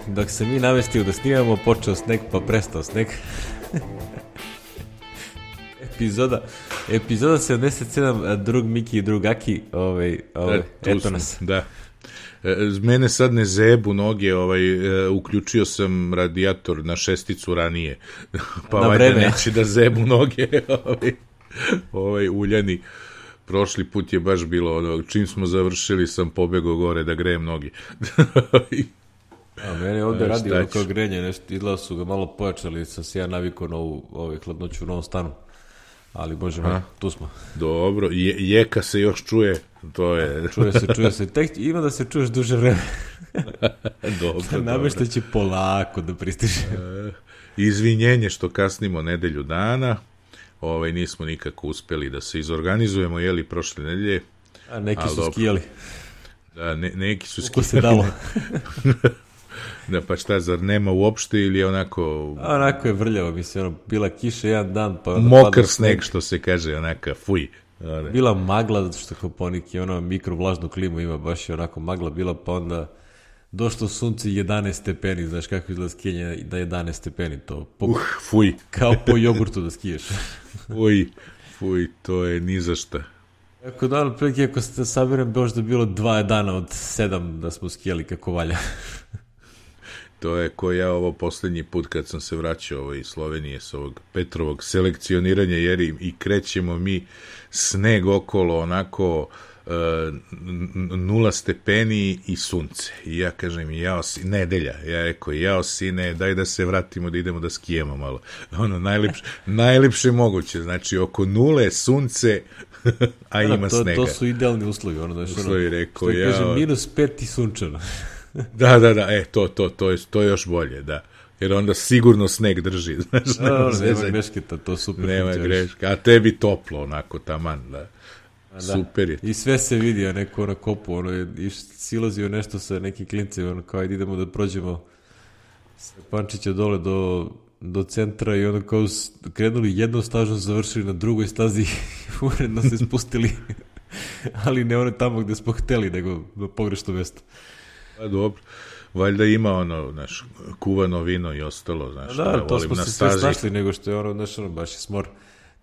Dok se mi namestio da snimamo, počeo sneg pa prestao sneg. Epizoda 77, drug Miki i drug Aki, eto nas. Da. Mene sad ne zebu noge, uključio sam radijator na 6 ranije, pa valjda neće da zebu noge, uljani. Prošli put je baš bilo čim smo završili sam pobegao gore da grejem noge. A meni ovdje radi kao grenje, nešto, izgleda su ga malo pojačali, sam se ja navikao na ovu hladnoću u novom stanu. Ali bože, tu smo. Dobro, jeka se još čuje, to je... Čuje se, tek ima da se čuješ duže vreme. Dobro, namešta će polako da pristiže. Izvinjenje što kasnimo nedelju dana, nismo nikako uspeli da se izorganizujemo, prošle nedelje. A neki su skijali. Da, neki su skijali. Uko se dalo. Da, pa šta, zar nema uopšte ili je onako... Onako je vrljavo, mislim, bila kiša jedan dan, pa... Mokar sneg, što se kaže, onaka, fuj. Bila magla, zato što Koponik je mikrovlažnu klimu ima, baš je onako magla bila, pa onda došlo sunce 11 stepeni, znaš kako izgleda skijanje da je 11 stepeni, to... Fuj. Kao po jogurtu da skiješ. Fuj, to je ni za šta. Ako dan, otprilike, ako se sabiram, možda bilo 2 dana od 7 da smo skijali kako valja. To je ko ja ovo posljednji put kad sam se vraćao iz Slovenije s ovog Petrovog selekcioniranja, jer i krećemo mi sneg okolo, onako 0 stepeni i sunce. I ja kažem, nedelja, ja rekao, sine, daj da se vratimo, da idemo da skijemo malo. Najlepše moguće, znači oko 0 sunce, a ima snega. To su idealni uslovi. Uslovi, rekao, što kaže, -5 i sunčano. Da, to je još bolje, da. Jer onda sigurno sneg drži, znaš. Nema grešketa, to super. Nema greška, a tebi toplo, onako, taman, da. Super je. I sve se vidi, a neko na kopu, silazio nešto sa nekim klincima, kao ajde idemo da prođemo sa Pančića dole do centra i onda kao krenuli jednom stažom, završili na drugoj stazi i uredno se spustili. Ali ne tamo gde smo hteli, nego na pogrešno mesto. Pa dobro, valjda ima kuvano vino i ostalo, znaš. Da, to smo se sve snašli, nego što je baš je smor.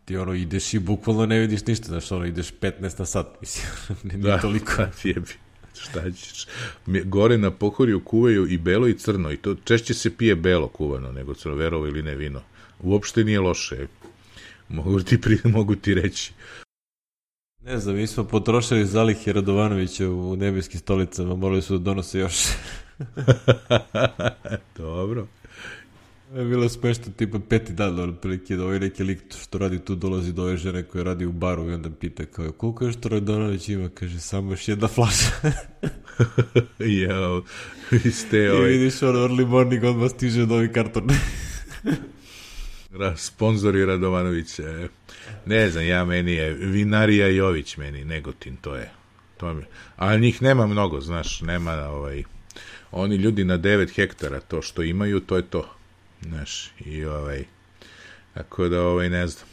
Ti ideš i bukvalno ne vidiš ništa, znaš, ideš 15 na sat, mislim, nije toliko. Da, jebi, šta ćeš. Gore na Pohorju kuvaju i belo i crno, i to češće se pije belo kuvano, nego crno, verovo ili ne vino. Uopšte nije loše, mogu ti reći. Ne znam, mi smo potrošili zalihe Radovanovića u nebeskim stolicama, morali su da donose još. Dobro. Je bilo smešno, tipa 5. dan, otprilike, da ovaj neki lik što radi tu dolazi do ove žene koja radi u baru i onda pita kao, koliko je što Radovanović ima? Kaže, samo još jedna flaša. Jao, vi ste I vidiš, early morning, odmah stiže novi karton. Sponzori Radovanovića. Ne znam, meni je Vinarija Jović, meni Negotin, to je. Ali njih nema mnogo, znaš, nema oni ljudi na 9 hektara, to što imaju, to je to. Znaš, i tako da ne znam.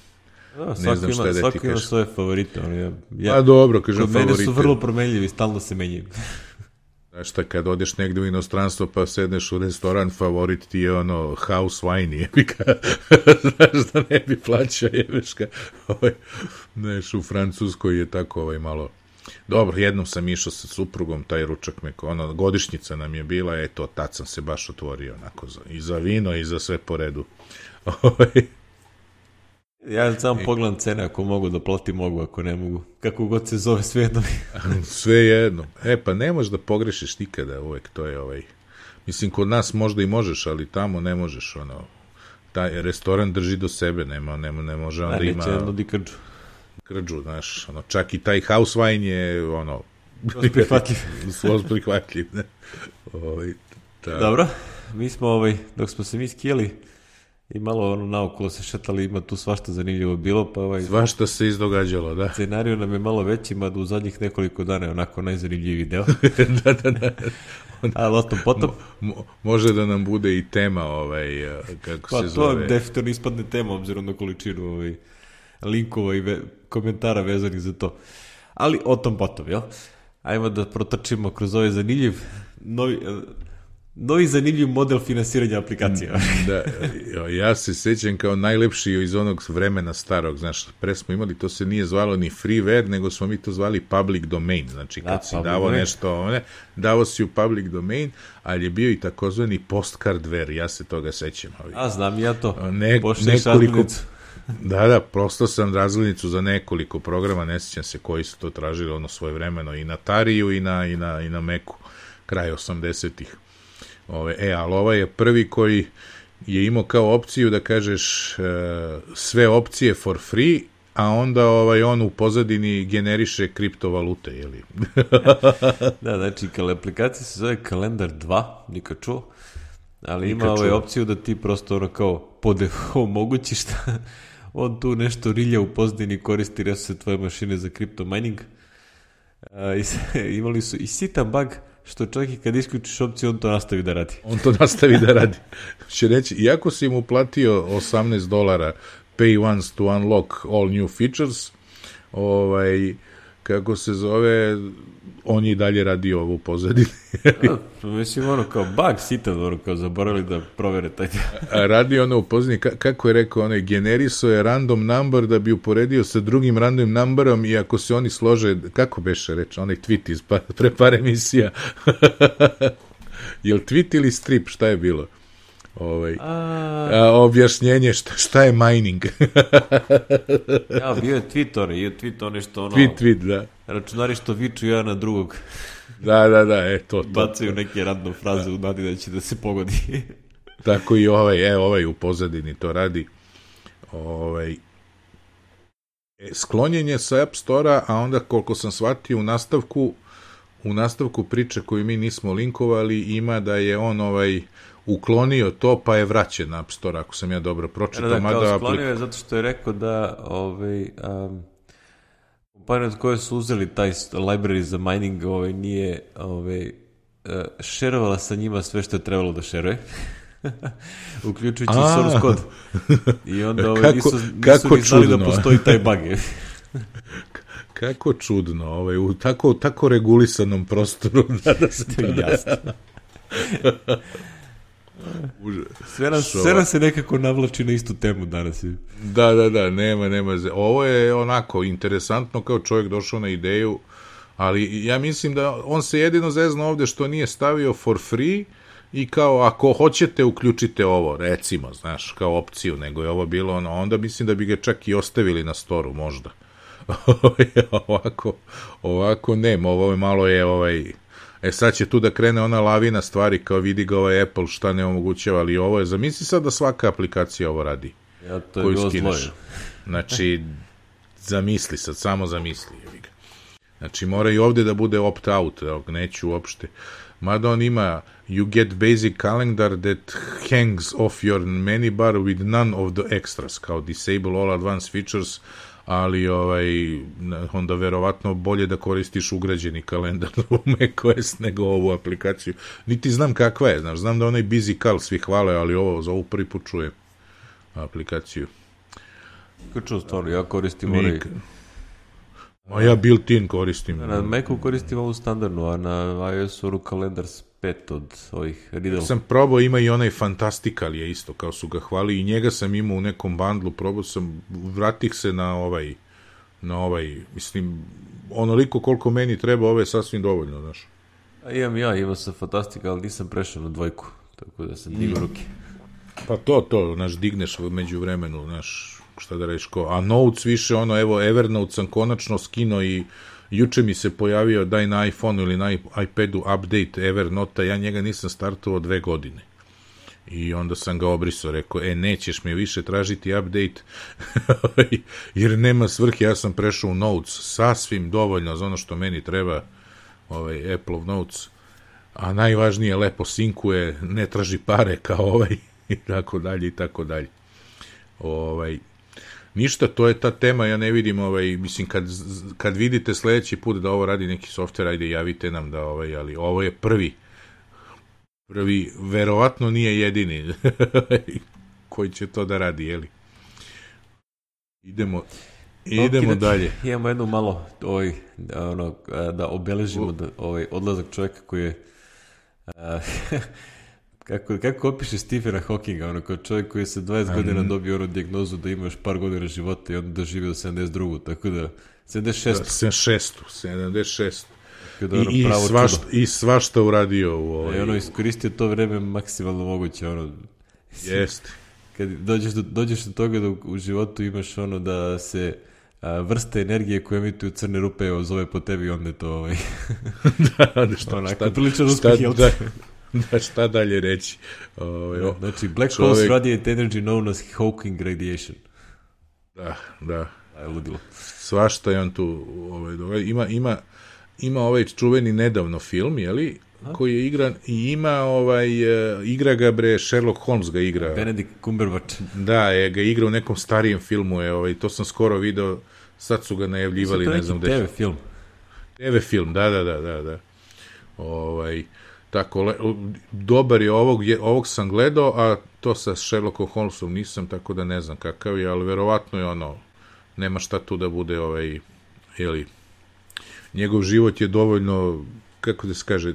Ne znam šta da ti kažem. Svako ima svoje favorite. Pa dobro, kažem favorite. Kod mene su vrlo promenljivi, stalno se menjaju. Znaš šta, kad odeš negde u inostranstvo pa sedneš u restoran, favorit ti je house wine, jebika. Znaš da ne bi plaćao, jebeška. Znaš, u Francuskoj je tako malo... Dobro, jednom sam išao sa suprugom, taj ručak godišnjica nam je bila, tad sam se baš otvorio, onako, i za vino i za sve po redu. Ja samo pogledam cene, ako mogu da platim, mogu, ako ne mogu. Kako god se zove, sve jedno. Sve jedno. Pa ne možeš da pogrešiš nikada, uvek, to je Mislim, kod nas možda i možeš, ali tamo ne možeš, taj restoran drži do sebe, ne može onda ima... Neće jedno di krđu, znaš, čak i taj house wine je, skroz prihvatljiv, ne? Dobro, mi smo, dok smo se mi skijali i malo naokolo se šetali, ima tu svašta zanimljivo bilo, pa svašta se izdogađalo, da. Scenariju nam je malo veći, mada u zadnjih nekoliko dana je onako najzanimljiviji deo. Da. Ali o tom potom... Može da nam bude i tema, kako se zove... Pa to definitivno ispadne tema, obzirom na količinu linkova i komentara vezanih za to. Ali o tom potom, jel? Ajmo da protrčimo kroz ovaj zanimljiv novi zanimljiv model finansiranja aplikacija. Da, ja se sećam kao najlepši iz onog vremena starog, znaš, pre smo imali, to se nije zvalo ni freeware, nego smo mi to zvali public domain, znači kad si davo nešto, davo si u public domain, ali je bio i takozvani postcardware, ja se toga sećam. Znam ja to, pošliješ razglednicu. Da, prosto sam razglednicu za nekoliko programa, ne sećam se koji su to tražili ono svoje vremeno, i na Tariju i na Macu, kraj 80-ih. Ali ovaj je prvi koji je imao kao opciju da kažeš sve opcije for free, a onda on u pozadini generiše kriptovalute, jeli? Da, znači, aplikacija se zove Kalendar 2, nikad čuo, ali ima opciju da ti prosto ono kao omogućiš da on tu nešto rilja u pozadini, koristi resurse tvoje mašine za kripto mining. Imali su i sitan bug, što čak i kad isključiš opciju, on to nastavi da radi. Će reći, iako si mu platio $18, pay once to unlock all new features, kako se zove, on je i dalje radio ovo u pozadini. Mislim, ono kao bug sitan, ono kao zaboravili da provere taj. Radio ono u pozadini, kako je rekao, generisao je random number da bi uporedio sa drugim random numberom i ako se oni slože, kako beše reći, onaj tweet iz pre par emisija. Jel tweet ili strip, šta je bilo? Objašnjenje šta je mining. Ja, bio je tweet onaj što ono... Tweet, da. Računari što viču jedan na drugog. Da, to. Bacaju neke random fraze u nadi da će da se pogodi. Tako i ovaj u pozadini to radi. Sklonjenje sa App Store-a, a onda koliko sam shvatio u nastavku priče koju mi nismo linkovali, ima da je on uklonio to, pa je vraćen na App Store, ako sam ja dobro pročitao. Da, sklonio je zato što je rekao da kompanije od koje su uzeli taj library za mining nije šerovala sa njima sve što je trebalo da šeruje, uključujući source code. I onda nisu ni znali da postoji taj bug. Kako čudno, u tako regulisanom prostoru da se to jasno. Sve nam se nekako navlači na istu temu danas. Da, nema. Ovo je onako interesantno, kao čovjek došao na ideju, ali ja mislim da on se jedino zezno ovdje što nije stavio for free i kao ako hoćete uključite ovo, recimo, znaš, kao opciju, nego je ovo bilo onda mislim da bi ga čak i ostavili na storu možda. Ovako nema, ovo je malo sad će tu da krene ona lavina stvari, kao vidi ga Apple šta ne omogućava, ali ovo je, zamisli sad da svaka aplikacija ovo radi. Ja, to je bilo zloje. Znači, zamisli sad, samo zamisli. Znači, mora i ovdje da bude opt-out, neću uopšte. Mada on ima, you get basic calendar that hangs off your menu bar with none of the extras, kao disable all advanced features, ali onda verovatno bolje da koristiš ugrađeni kalendar u macOS nego ovu aplikaciju. Niti znam kakva je, znam da onaj Busy Cal svi hvale, ali za ovu prvi put čujem aplikaciju. Kako stvarno, ja koristim ja built-in koristim. Na Macu koristim ovu standardnu, a na iOS-u kalendar 5 od ovih Riddle. Sam probao, ima i onaj Fantastical je isto, kao su ga hvali, i njega sam imao u nekom bandlu, probao sam, vratih se na ovaj, mislim, onoliko koliko meni treba, ovo je sasvim dovoljno, znaš. Imao sam Fantastical, ali nisam prešao na 2, tako da sam digao ruke. Pa to, znaš, digneš među vremenu, znaš, šta da reći a Notes više, Evernote sam konačno skinuo i juče mi se pojavio daj na iPhone ili na iPadu update Evernote, ja njega nisam startovao 2 godine. I onda sam ga obrisao, rekao, nećeš mi više tražiti update, jer nema svrhe, ja sam prešao u Notes, sasvim dovoljno za ono što meni treba, Apple Notes, a najvažnije, lepo sinkuje, ne traži pare kao i tako dalje. Ništa, to je ta tema, ja ne vidim, mislim, kad vidite sljedeći put da ovo radi neki softver, ajde javite nam da, ali ovo je prvi, verovatno nije jedini koji će to da radi, jeli? Idemo dalje. Imamo jednu malo, da obeležimo odlazak čovjeka koji je kako opiše Stephena Hawkinga, ono, kao čovjek koji je sa 20 godina dobio onu dijagnozu da ima još par godina života i onda doživio do 72. Tako da, 76. I svašta uradio u ovoj... I ono, iskoristio to vreme maksimalno moguće, ono... Jeste. Kad dođeš do toga da u životu imaš ono da se vrste energije koje emituju crne rupe zove po tebi, onda je to šta dalje reći. Znači, Black Holes radiate energy known as Hawking radiation. Da. Ludilo. Svašta je on tu ima ovaj čuveni nedavno film, jeli? Koji je igran i ima igra ga Sherlock Holmes ga igra. Benedict Cumberbatch. Da, ga igra u nekom starijem filmu, to sam skoro video, sad su ga najavljivali, ne znam gde. TV film. TV film, da. Tako, dobar je ovog sam gledao, a to sa Sherlockom Holmesom nisam, tako da ne znam kakav je, ali verovatno je nema šta tu da bude njegov život je dovoljno, kako da se kaže,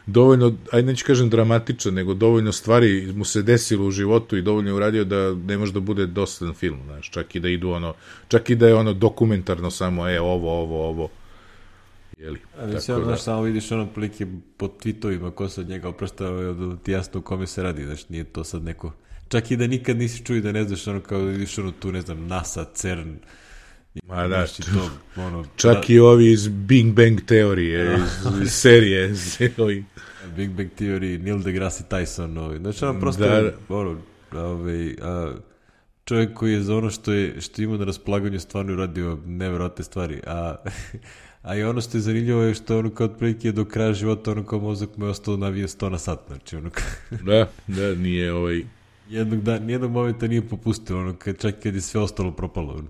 dovoljno, ajde neću kažem dramatičan, nego dovoljno stvari mu se desilo u životu i dovoljno je uradio da ne može da bude dosadan film, znaš, čak i da idu čak i da je dokumentarno samo, ovo, jeli. Znaš, samo vidiš prilike po tweetovima ko se od njega opraštava, da ti jasno u kome se radi, znaš, nije to sad neko, čak i da nikad nisi čuo da ne znaš, kao da vidiš tu, ne znam, NASA, CERN, ma da, čak i ovi iz Big Bang teorije, iz serije. Big Bang teorije, Neil deGrasse Tyson, znači prosto čovjek koji je za ono što ima na raspolaganju stvarno uradio neverovatne stvari, a i ono što je zanimljivo je što kao otprilike do kraja života kao mozak mu je ostao navije 100 na sat, znači Da, nije nijednog momenta nije popustio, čak kad je sve ostalo propalo,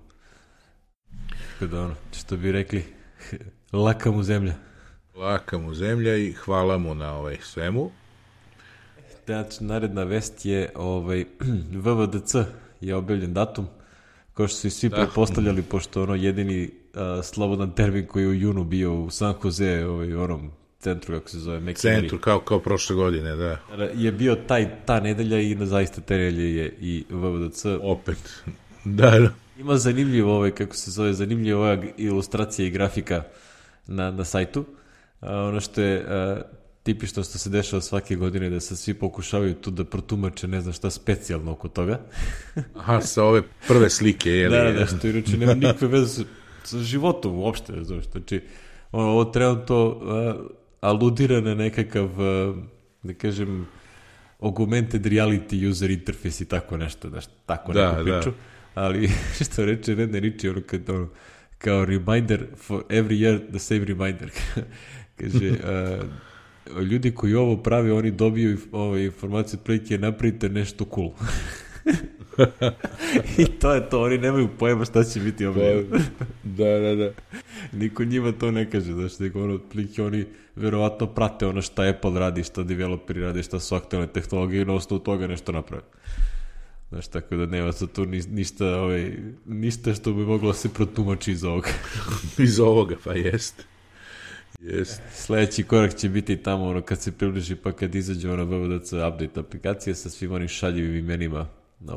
što bi rekli, laka mu zemlja. Laka mu zemlja i hvala mu na svemu. Znači, naredna vest je VVDC je objavljen datum, kao što su i svi pretpostavljali, pošto jedini slobodan termin koji je u junu bio u San Jose, onom centru, kako se zove, McKinney. Centru, kao prošle godine, da. Je bio ta nedelja i na zaista te nedelje je i VVDC. Opet, da. Ima zanimljivo kako se zove, zanimljiva ilustracija i grafika na sajtu. Ono što je tipično što se dešava svake godine, da se svi pokušavaju tu da protumače ne znam šta specijalno oko toga. Aha, sa ove prve slike, jeli? Da, što inače nema nikakve veze sa životom uopšte, znači, ovo trenutno aludira na nekakav, da kažem, augmented reality user interface i tako nešto, tako neku priču. Ali što reče Ned Riči, kao reminder for every year the same reminder. Kaže, ljudi koji ovo pravi, oni dobiju informaciju otprilike napravite nešto cool. I to je to, oni nemaju pojma šta će biti objavljeno. Da. Niko njima to ne kaže, otprilike oni verovatno prate šta Apple radi, šta developeri radi, šta su aktualne tehnologije i na osnovu toga nešto naprave. Znaš, tako da nema sad tu ništa što bi moglo se protumači iz ovoga. Iz ovoga, pa jest. Sljedeći korak će biti tamo kad se približi, pa kad izađe VVDC update aplikacije sa svim onim šaljivim imenima na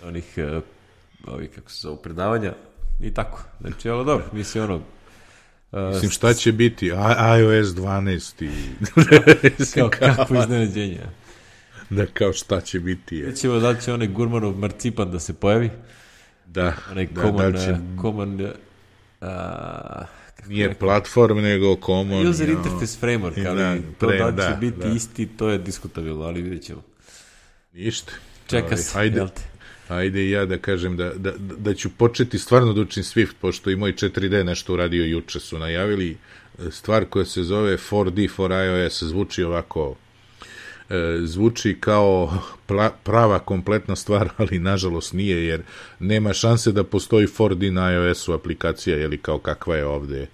onih kako se zove, predavanja i tako. Znači, ali dobro, mislim mislim, šta će biti? iOS 12 i... Kako iznenađenje. Da, kao šta će biti. Vidimo da li će onaj Gurmanov marcipan da se pojavi. Da. Onaj common nije platform, nego common. User interface framework, ali to da će biti isti, to je diskutabilno, ali vidjet ćemo. Ništa. Čeka se, jel te? Ajde i ja da kažem da ću početi stvarno da učim Swift, pošto i moj 4D nešto uradio juče, su najavili stvar koja se zove 4D for iOS, zvuči ovako, zvuči kao prava kompletna stvar, ali nažalost nije, jer nema šanse da postoji 4D na iOS-u aplikacija, jeli, kao kakva je ovde,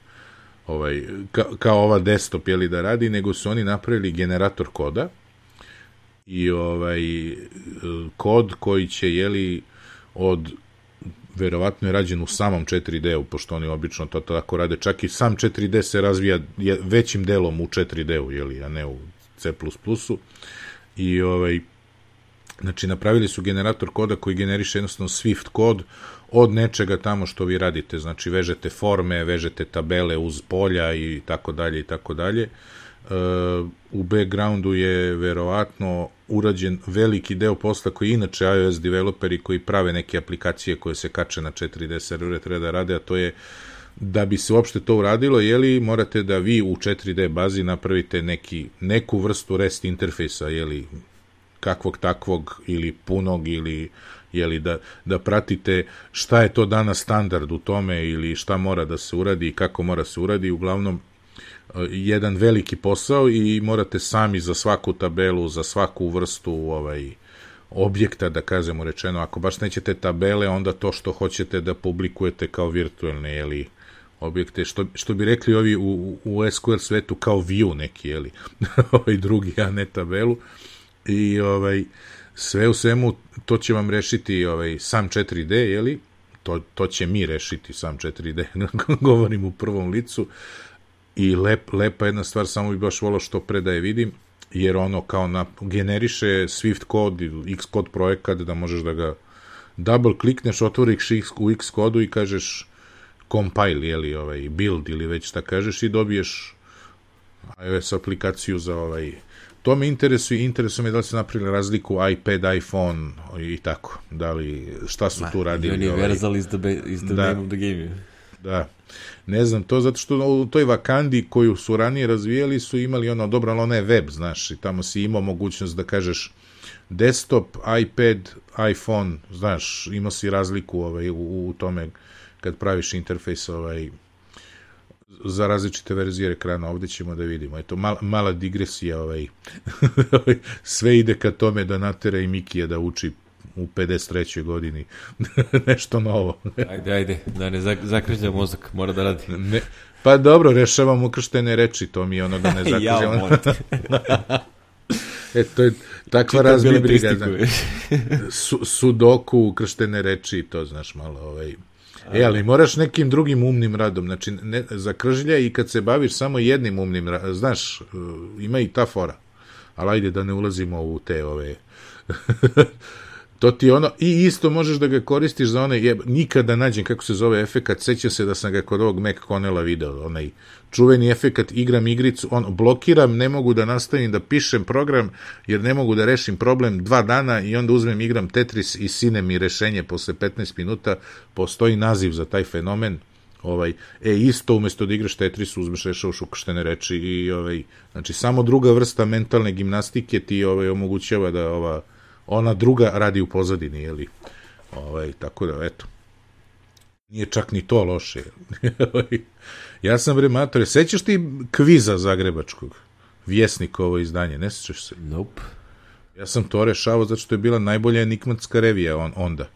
kao ova desktop, jeli, da radi, nego su oni napravili generator koda i kod koji će, jeli, verovatno je rađen u samom 4D-u, pošto oni obično to tako rade, čak i sam 4D se razvija većim delom u 4D-u, jeli, a ne u C++. I znači napravili su generator koda koji generiše jednostavno Swift kod od nečega tamo što vi radite, znači vežete forme, vežete tabele uz polja i tako dalje i tako dalje. U backgroundu je verovatno urađen veliki deo posla koji inače iOS developeri koji prave neke aplikacije koje se kače na 4D servere treba da rade, a to je da bi se uopšte to uradilo, morate da vi u 4D bazi napravite neku vrstu REST interfejsa, kakvog takvog ili punog ili da pratite šta je to danas standard u tome ili šta mora da se uradi i kako mora se uradi, uglavnom jedan veliki posao i morate sami za svaku tabelu, za svaku vrstu objekta, da kažemo rečeno, ako baš nećete tabele, onda to što hoćete da publikujete kao virtualne, objekte, što bi rekli ovi u SQL svetu kao view neki, drugi, a ne tabelu. I sve u svemu to će vam rešiti sam 4D, to će mi rešiti sam 4D, govorim u prvom licu. I lepa jedna stvar, samo bi baš volao što pre da je vidim, jer kao generiše Swift kod, Xcode projekat, da možeš da ga double klikneš, otvoriš u Xcodu i kažeš compile, build ili već šta kažeš i dobiješ iOS aplikaciju za To me interesuje me da li se napravili razliku iPad, iPhone i tako, šta su tu radili. Universal is the name of the game. Da, ne znam to, zato što u toj Wakandi koju su ranije razvijali su imali dobro, ali ona je web, znaš, i tamo si imao mogućnost da kažeš desktop, iPad, iPhone, znaš, imao si razliku u tome kad praviš interfejs za različite verzije ekrana, ovdje ćemo da vidimo. Eto, mala digresija, sve ide ka tome da natera i Mikija da uči u 53. godini nešto novo. Ajde, da ne zakrežlja mozak, mora da radi. Pa dobro, rešavam ukrštene reči, to mi je ono da ne zakrežlja. To je takva razbibriga. Sudoku, ukrštene reči, to znaš malo, ali moraš nekim drugim umnim radom, znači zakržlja i kad se baviš samo jednim umnim radom, znaš, ima i ta fora, ali ajde da ne ulazimo u te to ti i isto možeš da ga koristiš za nikada nađem kako se zove efekat, sećam se da sam ga kod ovog Mac Connella video, onaj čuveni efekat, igram igricu, blokiram, ne mogu da nastavim da pišem program, jer ne mogu da rešim problem 2 dana i onda uzmem, igram Tetris i sine mi rešenje posle 15 minuta, postoji naziv za taj fenomen, isto umesto da igraš Tetris, uzmeš rešavaš ukrštene reči i znači samo druga vrsta mentalne gimnastike ti omogućava da ona druga radi u pozadini, tako da, eto. Nije čak ni to loše. Ja sam mator, sećaš ti kviza zagrebačkog? Vjesnikovo izdanje, ne sećaš se? Nope. Ja sam to rešavao zato što je bila najbolja enigmatska revija onda.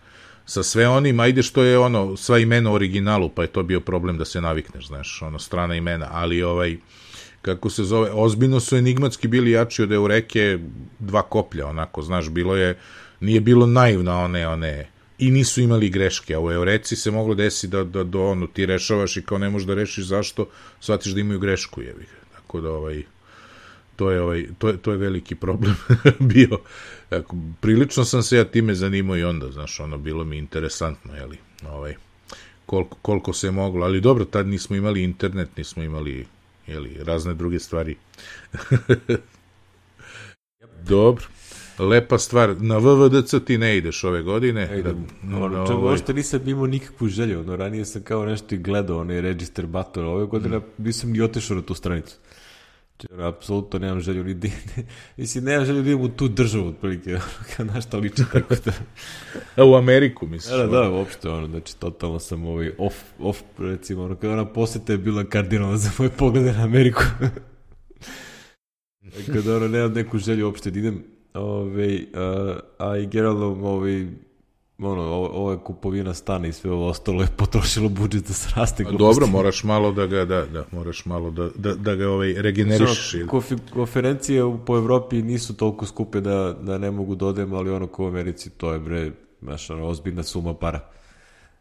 Sa sve onim, ajde što je sva imena u originalu, pa je to bio problem da se navikneš, znaš, strana imena, ali kako se zove, ozbiljno su enigmatski bili jači od Eureke 2 koplja, onako, znaš, nije bilo naivno one, i nisu imali greške, a u Eureci se moglo desiti da ti rešavaš i kao ne možeš da rešiš zašto, shvatiš da imaju grešku, tako da to je veliki problem bio. Prilično sam se ja time zanimao i onda, znaš, bilo mi interesantno, koliko se moglo, ali dobro, tad nismo imali internet, nismo imali razne druge stvari. Dobro, lepa stvar. Na VVDC ti ne ideš ove godine. Ošto nisam imao nikakvu želju. Ranije sam kao nešto i gledao register button. Ove godine nisam ni otešao na tu stranicu. Apsolutno nemam želju nemam želju da idem u tu državu otprilike, kao našta liče tako da. U Ameriku, misliš? Da, uopšte, znači totalno sam off, recimo, kada ona posjeta je bila kardinalna za moje poglede na Ameriku. Kada nemam neku želju uopšte da idem, a i generalno ovo je kupovina stana i sve ovo ostalo je potrošilo budžet da se raste. Dobro, moraš malo da ga da ga regenerišeš. Konferencije po Evropi nisu toliko skupe da ne mogu da odem, ali ko u Americi to je ozbiljna suma para.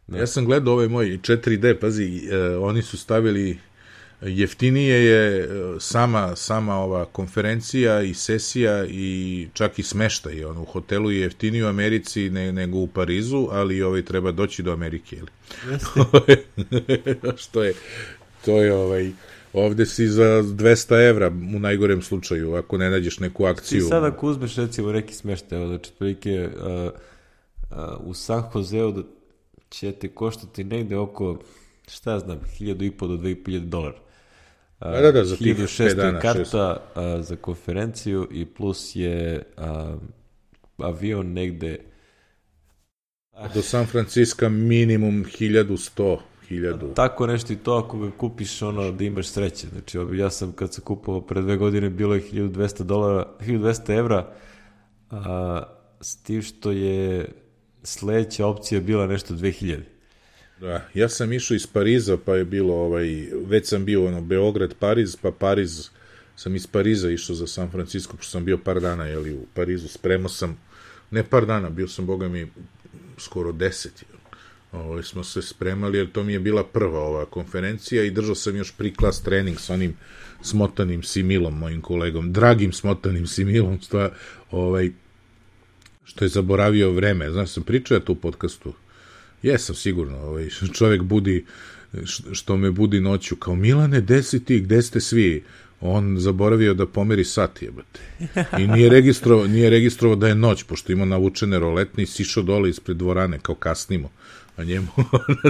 Ja sam gledao moj 4D, pazi, oni su stavili jeftinije je sama ova konferencija i sesija i čak i smeštaj. U hotelu je jeftiniji u Americi nego u Parizu, ali treba doći do Amerike. Što je, to je ovde si za 200 evra u najgorem slučaju, ako ne nađeš neku akciju. Ti sad ako uzmeš recimo neki smeštaj, znači prilike u San Joseu da će te koštati negde oko, šta ja znam, 1.500 do 2.500 dolara. Da, za tih 1.600 dana, karta za konferenciju i plus je avion negde do San Francisco minimum 1.100. Tako nešto i to ako ga kupiš da imaš sreće. Znači ja sam kad sam kupovao pre 2 godine bilo je 1.200 evra, s tim što je sledeća opcija bila nešto 2.000. Da, ja sam išao iz Pariza, pa je bilo, već sam bio Beograd, Pariz, pa Pariz, sam iz Pariza išao za San Francisco, pošto sam bio par dana, u Parizu, spremao sam, ne par dana, bio sam, boga mi, skoro 10, smo se spremali, jer to mi je bila prva ova konferencija i držao sam još pre-class trening s onim smotanim Similom, mojim kolegom, dragim smotanim Similom, što je zaboravio vreme. Znaš, sam pričao ja tu u podcastu. Jesam sigurno, čovjek budi, što me budi noću, kao Milane, gde ste svi? On zaboravio da pomeri sat, jebate. I nije registrovao da je noć, pošto ima navučene roletne i sišao dole ispred dvorane, kao kasnimo. A njemu,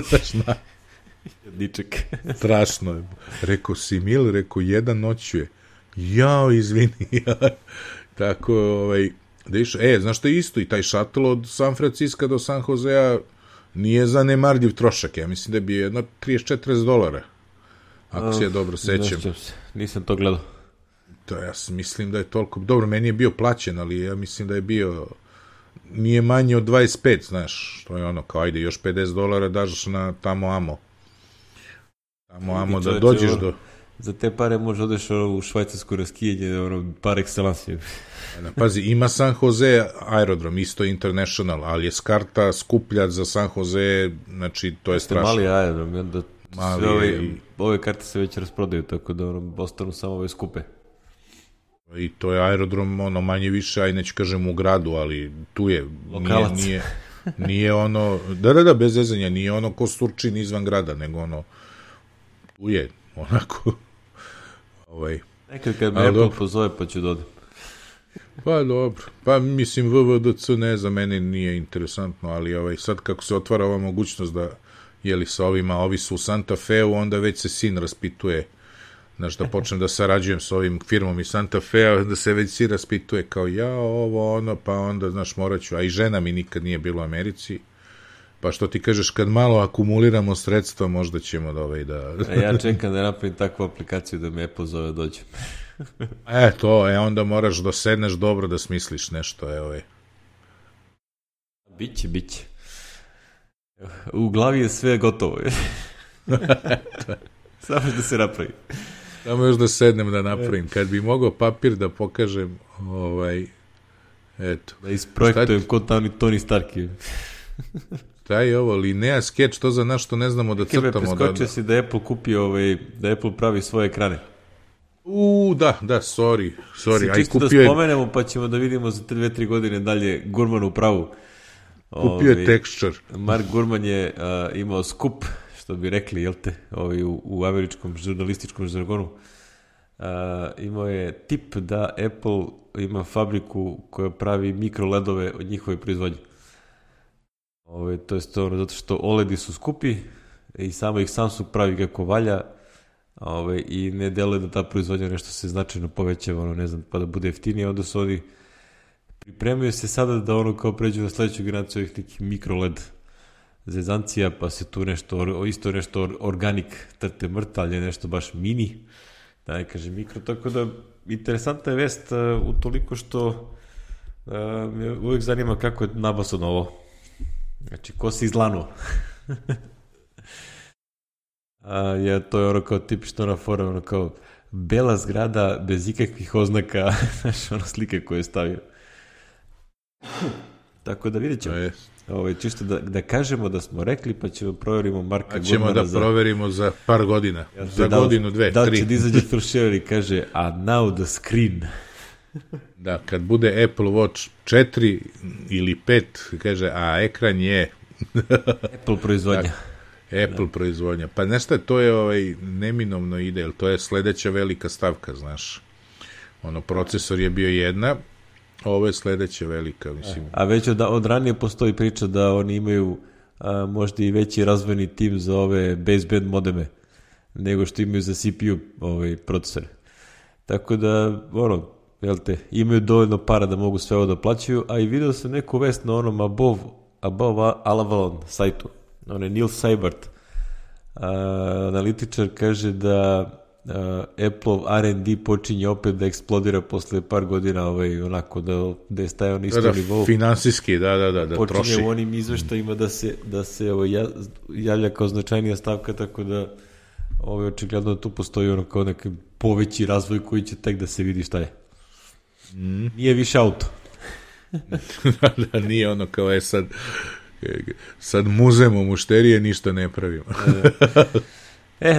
znaš, Diček. Strašno je. Rekao si Mil, rekao, jedan noću je. Jao, izvini. Tako, da išao. Znaš što je isto, i taj šatl od San Francisco do San Josea nije zanemarljiv trošak. Ja mislim da bi jedno 30-40 dolara. Ako se ja dobro sećam. Nisam to gledao. To ja mislim da je toliko. Dobro, meni je bio plaćen, ali ja mislim da je bio nije manje od 25, znaš, to je kao, ajde, još 50 dolara daš na tamo amo da dođeš do... Za te pare možeš odeš u švajcarsku raskijanje, par excellence. Pazi, ima San Jose aerodrom, isto international, ali je karta skuplja za San Jose, znači, to je strašno. Mali aerodrom, onda ove karte se već rasprodaju, tako da ostanu samo ove skupe. I to je aerodrom, manje više, aj neću kažem u gradu, ali tu je. Lokalac. Nije da, bez zezanja, nije ko Surčin izvan grada, nego tu je, onako. Nekad kad me Apple pozove, pa ću dodati. Pa dobro, pa mislim VVDC za mene nije interesantno, ali sad kako se otvara ova mogućnost da, sa ovi su u Santa Feu, onda već se sin raspituje, znaš, da počnem da sarađujem s ovim firmom iz Santa Fea, da se već si raspituje kao pa onda, znaš, morat ću, a i žena mi nikad nije bila u Americi, pa što ti kažeš, kad malo akumuliramo sredstva, možda ćemo da... Ja čekam da napravim takvu aplikaciju da me Apple zove dođem. Onda moraš da sedneš dobro da smisliš nešto, Biće. U glavi je sve gotovo. Samo da se napravi. Samo još da sednem da napravim. Kad bi mogao papir da pokažem, eto. Da isprojektujem kod Tony Stark. Taj Linea Sketch, to za nas što ne znamo da crtamo. Preskočio si da Apple kupi, da Apple pravi svoje ekrane. Da, sorry. Čisto da spomenemo, pa ćemo da vidimo za 2-3 godine dalje Gurman u pravu. Kupio je Texture. Mark Gurman je imao skup, što bi rekli, jel te, u američkom žurnalističkom žargonu. Imao je tip da Apple ima fabriku koja pravi mikroledove od njihove proizvodnje. To je zato što OLED-i su skupi i samo ih Samsung pravi kako valja, i ne deluje da ta proizvodnja nešto se značajno povećava, ne znam, pa da bude jeftinije, onda su oni pripremaju se sada da kao pređu na sledeću generaciju ovih nekih mikroLED zezancija, pa se tu nešto organik trte mrta, ali je nešto baš mini, da ne kažem mikro, tako da interesantna je vest utoliko što me uvijek zanima kako je nabasano ovo. Znači, ko se izlanuo? To je kao tipično fora, kao bela zgrada bez ikakvih oznaka, znaš, slike koje je stavio. Tako da vidjet ćemo. Čisto da kažemo da smo rekli, pa ćemo provjerimo Marka Gurmana. Ćemo da proverimo za par godina. Za godinu, dve, da 3. Da će da izađe Phil Schiller i kaže, a now the screen. Da, kad bude Apple Watch 4 ili 5, kaže, a ekran je... Apple proizvodnja. Apple proizvodnja. Pa nešto, to je neminovno ide, jer to je sledeća velika stavka, znaš. Procesor je bio jedna, ovo je sledeća velika, mislim. A već od ranije postoji priča da oni imaju možda i veći razvojni tim za ove baseband modeme nego što imaju za CPU procesore. Tako da, imaju dovoljno para da mogu sve ovo da plaćaju, a i video sam neku vest na onom Above Avalon sajtu. Neil Seibert, analitičar, kaže da Apple R&D počinje opet da eksplodira posle par godina, onako da je stajao na istom nivou. Finansijski, da troši. Počinje u onim izveštajima da se javlja kao značajnija stavka, tako da očigledno tu postoji kao neki poveći razvoj koji će tek da se vidi šta je. Nije više auto. Da, nije kao sad muzemo mušterije, ništa ne pravimo.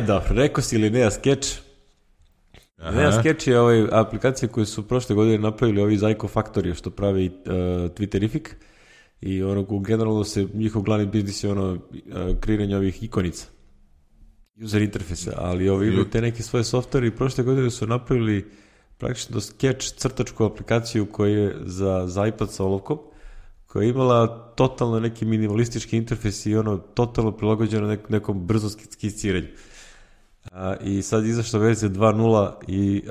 Dobro, rekao si Linnea Sketch. Linnea Sketch je aplikacija koju su prošle godine napravili ovi Zyko Factory, što pravi Twitterific, i generalno se njihov glavni biznis je kreiranje ovih ikonica, user interfejsa, ali imaju te neke svoje softvere i prošle godine su napravili praktično Sketch crtačku aplikaciju koja je za iPad sa olovkom, koja je imala totalno neki minimalistički interfejs i totalno prilagođeno nekom brzom skiciranju. I sad izašla verzija 2.0 i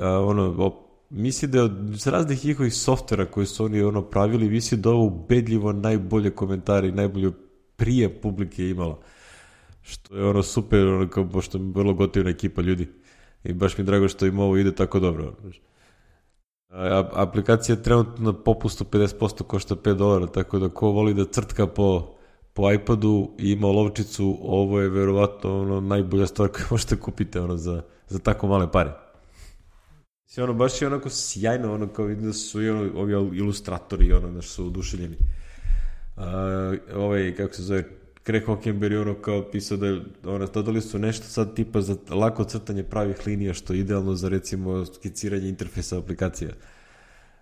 misli da je od raznih njihovih softvera koje su oni pravili, misli da ovo ubedljivo najbolje komentare i najbolje prije publike imala. Što je super, pošto je vrlo gotivna ekipa ljudi. I baš mi je drago što im ovo ide tako dobro. Aplikacija je trenutno na popustu 50%, košta $5, tako da ko voli da crtka po iPadu i ima olovčicu, ovo je verovatno najbolja stvar koju možete kupiti za tako male pare. Baš je sjajno, kao vidim da su ovi ilustratori, su oduševljeni. Kako se zove, Craig Hockenberry kao pisao da dodali su nešto sad tipa za lako crtanje pravih linija, što je idealno za recimo skiciranje interfejsa aplikacija.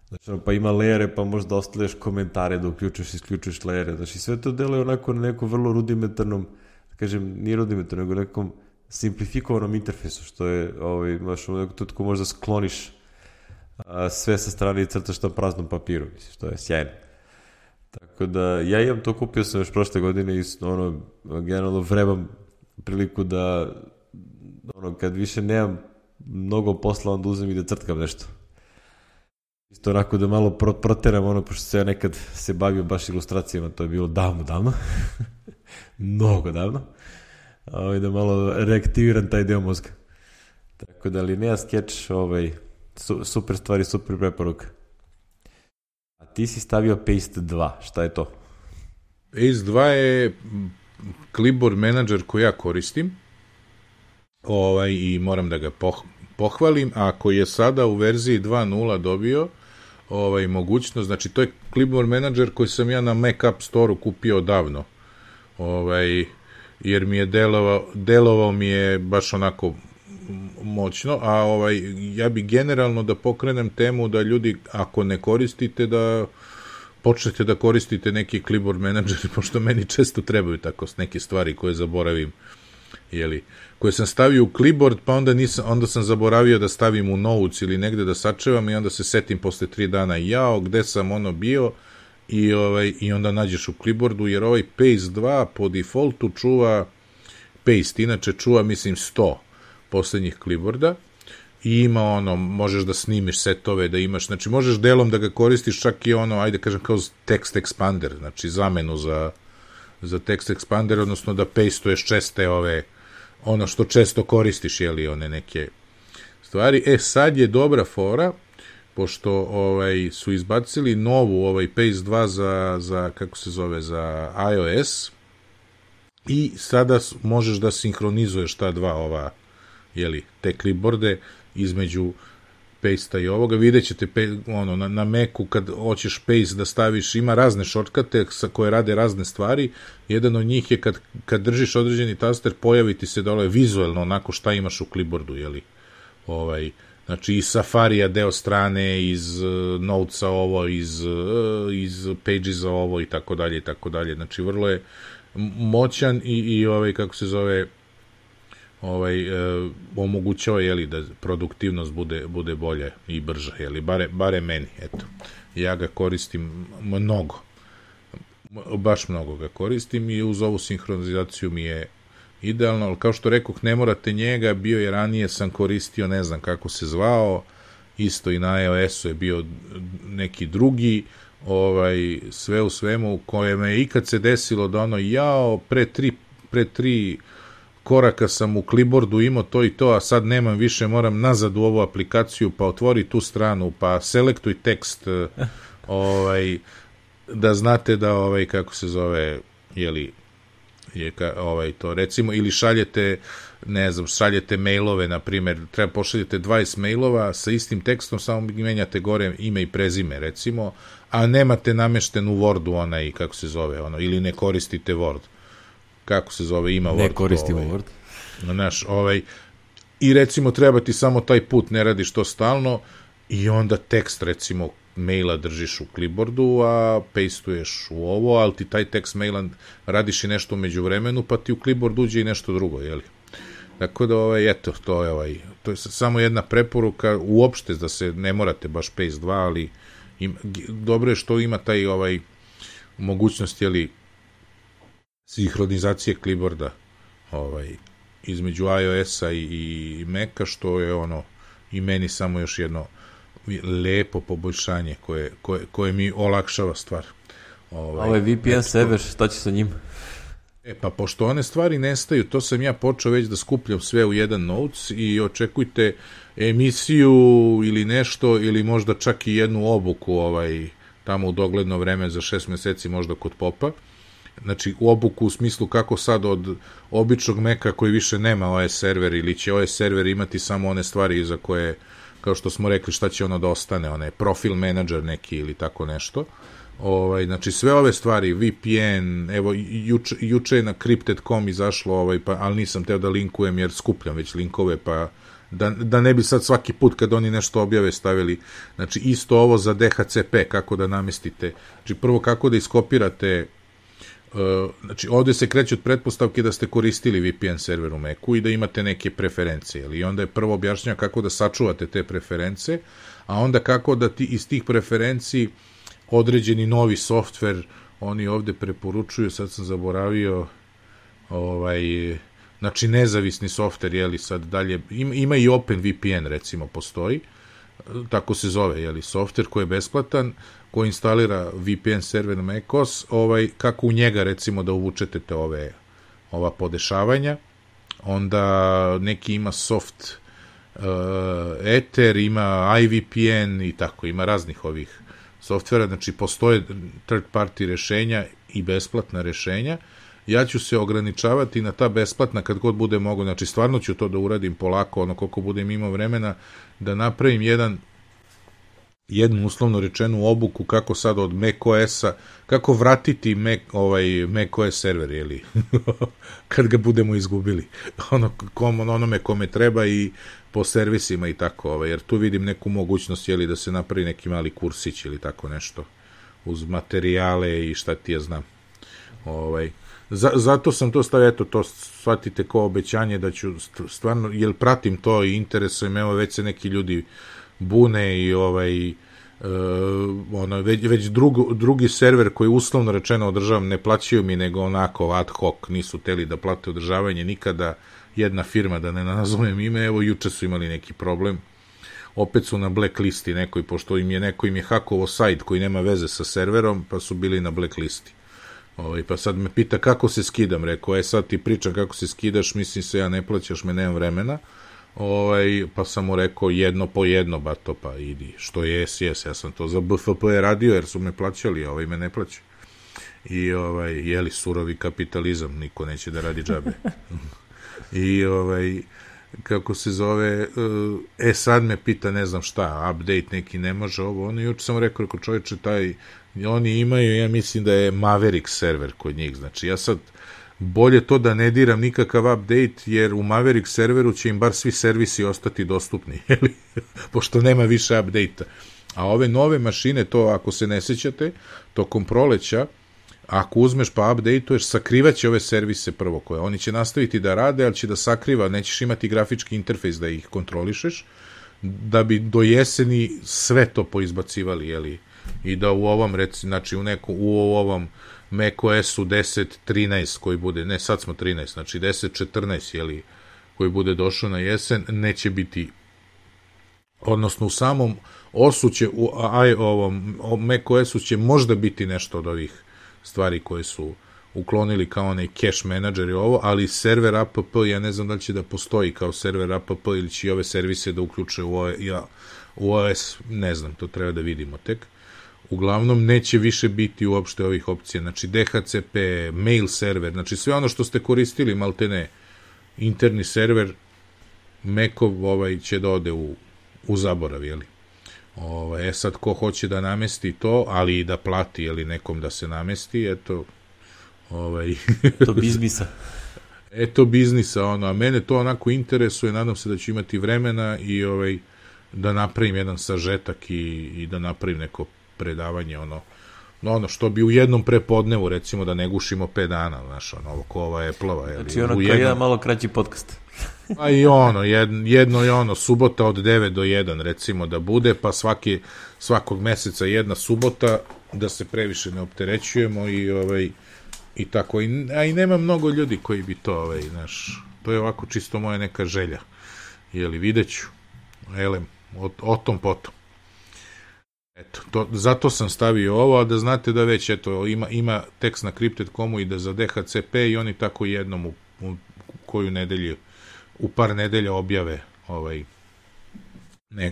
Znači, pa ima lejere, pa možda ostavljaš komentare da uključuješ i isključuješ lejere. Znači, sve to deluje onako na nekom vrlo rudimentarnom, nije rudimentarnom, nego nekom simplifikovanom interfejsu, što je, imaš u nekom tutku možda skloniš sve sa strane i crtaš na praznom papiru, mislim, što je sjajno. Tako da, ja imam to, kupio sam još prošle godine i generalno vrebam priliku da kad više nemam mnogo posla, onda uzem i da crtkam nešto. Isto onako da malo proteram pošto se ja nekad se bavio baš ilustracijama, to je bilo davno, mnogo davno, da malo reaktiviram taj deo mozga. Tako da, Linnea Sketch, super stvari, super preporuka. A ti si stavio Paste 2, šta je to? Paste 2 je clipboard manager koji ja koristim i moram da ga pohvalim, a koji je sada u verziji 2.0 dobio mogućnost, znači to je clipboard manager koji sam ja na Mac App Store-u kupio davno, jer mi je delovao mi je baš onako moćno, a ja bi generalno da pokrenem temu da ljudi, ako ne koristite, da počnete da koristite neki clipboard manager, pošto meni često trebaju tako neke stvari koje zaboravim, koje sam stavio u clipboard, pa onda sam zaboravio da stavim u notes ili negde da sačevam i onda se setim posle 3 dana, gde sam bio, i onda nađeš u clipboardu, jer ovaj Paste 2 po defaultu čuva Paste, inače čuva, mislim, 100 poslednjih clipboarda i ima možeš da snimiš setove, da imaš, znači možeš delom da ga koristiš čak i ajde kažem kao text expander, znači zamenu za text expander, odnosno da pastuješ česte što često koristiš, one neke stvari. Sad je dobra fora, pošto su izbacili novu Paste 2 za kako se zove, za iOS, i sada možeš da sinhronizuješ ta dva te clipboarde između paste-a i ovoga, vidjet ćete na Macu kad hoćeš paste da staviš, ima razne shortcute koje rade razne stvari, jedan od njih je kad držiš određeni taster, pojavi ti se dole vizuelno onako šta imaš u clipboardu, jeli, znači iz Safarija deo strane, iz Notesa ovo, iz Pagesa ovo i tako dalje, znači vrlo je moćan i kako se zove, omogućava, jeli, da produktivnost bude bolja i brža, jeli, bare meni, eto. Ja ga koristim mnogo, baš mnogo ga koristim i uz ovu sinhronizaciju mi je idealno, ali kao što rekoh, ne morate njega, bio je ranije, sam koristio, ne znam kako se zvao, isto i na iOS-u je bio neki drugi, sve u svemu, u kojem je ikad se desilo da pre tri koraka sam u clipboardu imao to i to, a sad nemam više, moram nazad u ovu aplikaciju, pa otvori tu stranu, pa selektuj tekst, da znate da, kako se zove, jeli, to recimo, ili šaljete, ne znam, šaljete mailove, na primjer, treba pošaljete 20 mailova sa istim tekstom, samo menjate gore ime i prezime, recimo, a nemate namešten u Wordu kako se zove, ili ne koristite Word. Kako se zove, ima Word. Ne koristimo Word. Znaš, i recimo treba ti samo taj put, ne radiš to stalno, i onda tekst, recimo, maila držiš u clipboardu, a pastuješ u ovo, ali ti taj tekst maila radiš i nešto umeđu vremenu, pa ti u clipboard uđe i nešto drugo, jeli? Tako da, eto, to je samo jedna preporuka, uopšte da se ne morate baš paste 2, ali dobro je što ima taj mogućnost, jeli, sinhronizacije clipboarda između iOS-a i Maca, što je i meni samo još jedno lepo poboljšanje koje mi olakšava stvar. Ovo je VPN server, šta će sa njim? Pa pošto one stvari nestaju, to sam ja počeo već da skupljam sve u jedan Notes i očekujte emisiju ili nešto, ili možda čak i jednu obuku tamo u dogledno vreme za 6 meseci možda kod Popa. Znači, u obuku u smislu kako sad od običnog Maca koji više nema OS server, ili će OS server imati samo one stvari za koje, kao što smo rekli, šta će da ostane, profil menadžer neki ili tako nešto. Znači, sve ove stvari, VPN, evo, juče je na Crypted.com izašlo, ali nisam teo da linkujem jer skupljam već linkove, pa da ne bi sad svaki put kad oni nešto objave stavili, znači, isto ovo za DHCP, kako da namestite, znači, prvo kako da iskopirate. Znači, ovde se kreće od pretpostavke da ste koristili VPN server u Macu i da imate neke preferencije, i onda je prvo objašnjava kako da sačuvate te preference, a onda kako da iz tih preferenciji određeni novi softver, oni ovde preporučuju, sad sam zaboravio, znači nezavisni softver, jeli, sad dalje, ima i OpenVPN, recimo, postoji, tako se zove, jeli, softver koji je besplatan, koji instalira VPN server na macOS, kako u njega, recimo, da uvučete te ova podešavanja, onda neki ima soft Ether, ima iVPN i tako, ima raznih ovih softvera, znači postoje third party rešenja i besplatna rešenja. Ja ću se ograničavati na ta besplatna kad god bude mogo, znači stvarno ću to da uradim polako, koliko budem imao vremena, da napravim jednu uslovno rečenu obuku kako sad od macOS-a, kako vratiti macOS server, jeli, kad ga budemo izgubili, onome kome treba i po servisima i tako, jer tu vidim neku mogućnost, jeli, da se napravi neki mali kursić ili tako nešto, uz materijale i šta ti ja znam. Zato sam to stavio, eto, to shvatite kao obećanje da ću stvarno, jer pratim to i interesuje me, evo već se neki ljudi bune i već drugi server koji uslovno rečeno održavam, ne plaćaju mi, nego onako ad hoc, nisu teli da plate održavanje nikada, jedna firma, da ne nazovem ime, evo juče su imali neki problem, opet su na blacklisti nekoj, pošto im je hakovo sajt koji nema veze sa serverom, pa su bili na blacklisti. Pa sad me pita kako se skidam, rekao, sad ti pričam kako se skidaš, mislim se ja ne plaćaš me, nemam vremena, pa sam mu rekao jedno po jedno, bato, pa idi, što jes, ja sam to za BFP radio, jer su me plaćali, a me ne plaća. I, jeli, surovi kapitalizam, niko neće da radi džabe. I, kako se zove, sad me pita, ne znam šta, update neki ne može ovo, ono, juče sam rekao, čovječe, oni imaju, ja mislim da je Maverick server kod njih, znači ja sad bolje to da ne diram nikakav update, jer u Maverick serveru će im bar svi servisi ostati dostupni, pošto nema više update-a. A ove nove mašine, to ako se ne sećate, tokom proleća, ako uzmeš pa update-uješ, sakrivaće ove servise prvo koje. Oni će nastaviti da rade, ali će da sakriva, nećeš imati grafički interfejs da ih kontrolišeš, da bi do jeseni sve to poizbacivali, jeli? I da u ovom, znači u ovom macOS-u 10.13 koji bude, ne sad smo 13, znači 10.14, jeli, koji bude došao na jesen, neće biti, odnosno u samom OS-u će, u ovom macOS-u će možda biti nešto od ovih stvari koje su uklonili kao onaj cache manager i ovo, ali server app, ja ne znam da li će da postoji kao server app ili će i ove servise da uključe u OS, ne znam, to treba da vidimo tek. Uglavnom, neće više biti uopšte ovih opcija, znači DHCP, mail server, znači sve ono što ste koristili, maltene, interni server, Macov će da ode u zaborav, jeli? Sad, ko hoće da namesti to, ali i da plati, jeli, nekom da se namesti, eto, to biznisa. Eto biznisa, a mene to onako interesuje, nadam se da ću imati vremena i da napravim jedan sažetak i da napravim neko predavanje, ono što bi u jednom prepodnevu, recimo, da ne gušimo 5 dana, znaš, ovo ko ova Apple-ova. Znači kao jedan malo kraći podcast. Pa i jedno je subota od 9 do 1, recimo, da bude, pa svakog meseca jedna subota, da se previše ne opterećujemo i tako. A i nema mnogo ljudi koji bi to, znaš, to je ovako čisto moja neka želja. Jeli, vidjet ću. Elem, o tom potom. Eto, zato sam stavio ovo, a da znate da već, eto, ima tekst na Crypted.comu i da za DHCP i oni tako jednom u koju nedelju, u par nedelja objave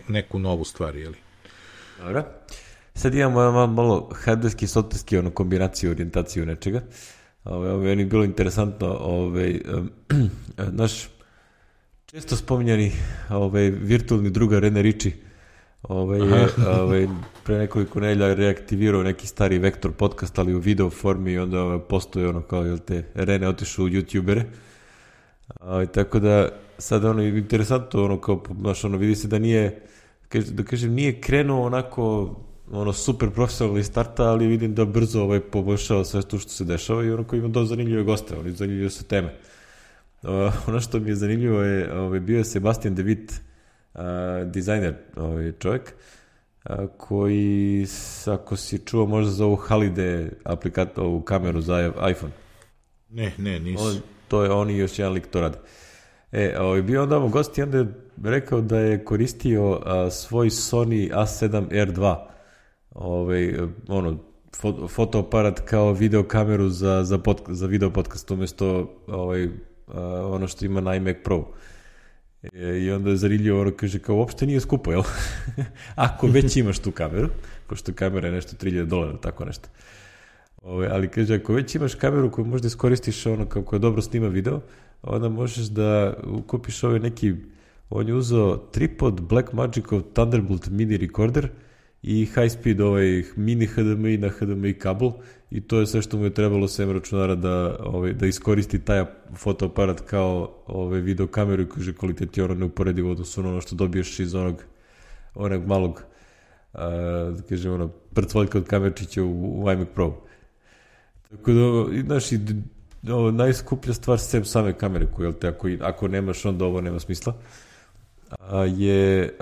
neku novu stvar, jeli? Dobro. Sad imamo malo hardverski, softverski, kombinaciju, orijentaciju nečega. Meni je bilo interesantno, naš često spominjani virtualni druga Rene Ritchie pre nekoliko nedelja reaktivirao neki stari Vektor podcast, ali u video formi i onda postoje kao Rene otišao u YouTubere. Tako da sad interesantno kao vidi se da nije, da kažem, nije krenuo onako super profesionalni starta, ali vidim da brzo poboljšava sve to što se dešava i ima dosta zanimljive goste, zanimljive su teme. Ono što mi je zanimljivo je bio je Sebastian De Witt, dizajner čovjek, koji, ako si čuo, možda za ovu Halide ovu kameru za iPhone. Ne, nisam. To je on i još jedan lik to radi. Bio onda gost i onda je rekao da je koristio svoj Sony A7R2 fotoaparat kao videokameru za video podcast umjesto ono što ima na iMac Pro. I onda je zanimljivo, kaže, kao uopšte nije skupo, jel? Ako već imaš tu kameru, pošto kamera je nešto $3,000, tako nešto. Ali kaže, ako već imaš kameru koju možda iskoristiš kako je dobro snima video, onda možeš da kupiš neki, on je uzeo tripod Blackmagicov Thunderbolt mini recorder i high speed mini HDMI na HDMI kabel i to je sve što mu je trebalo sem računara da iskoristi taj fotoaparat kao video kameru i kaže kvalitet je neuporedivo odnosno ono što dobiješ iz onog malog kažem prcvoljka od kamerčića u iMac Pro. Tako da, znaš, najskuplja stvar sem same kamere koju, ako nemaš onda ovo nema smisla, je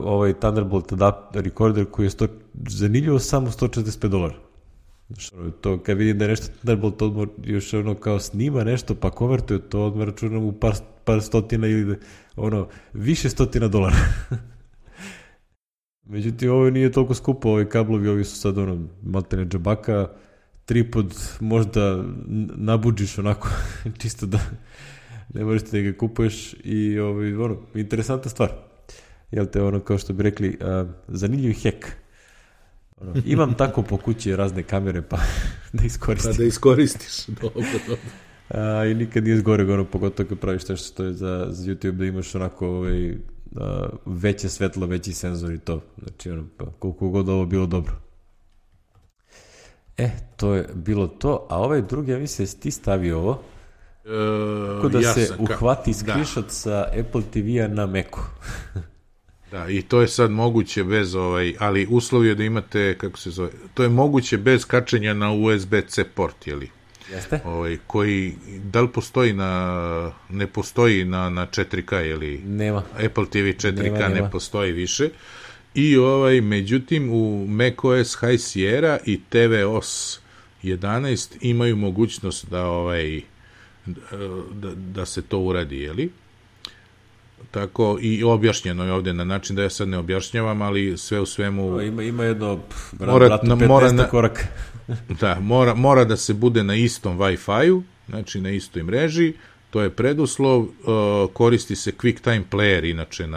ovaj Thunderbolt recorder koji je zanimljivo samo $145. To kad vidim da je nešto Thunderbolt još kao snima nešto pa konvertuje to, odmah računam u par stotina ili više $100. Međutim, ovo nije toliko skupo, ovi kablovi, ovi su sad maltene džabaka, tripod možda nabuđiš onako, čisto da ne možeš da ga kupuješ i interesantna stvar. Jel te kao što bi rekli, zanimljiv hek. Imam tako po kući razne kamere pa da iskoristim. Pa da iskoristiš, dobro. I nikad nije zgoreg, ono, pogotovo kad praviš nešto što je za YouTube, da imaš onako veće svetlo, veći senzor i to. Znači, ono, pa, koliko god ovo bilo dobro. To je bilo to, a ovaj drugi, ja mislim, jesi ti stavio ovo? Kako da se uhvati screenshot sa Apple TV-a na Macu. Da, i to je sad moguće bez ali uslov je da imate, kako se zove, to je moguće bez kačenja na USB-C port, jeli? Jeste? Koji, da li postoji ne postoji na 4K, jeli? Nema. Apple TV 4K nema. Ne postoji više. I međutim, u macOS High Sierra i tvOS 11 imaju mogućnost da se to uradi, jeli? Tako, i objašnjeno je ovdje na način da ja sad ne objašnjavam, ali sve u svemu... Ima jedno, bratu 15 koraka. Da, mora da se bude na istom Wi-Fi-u, znači na istoj mreži, to je preduslov, koristi se QuickTime Player, inače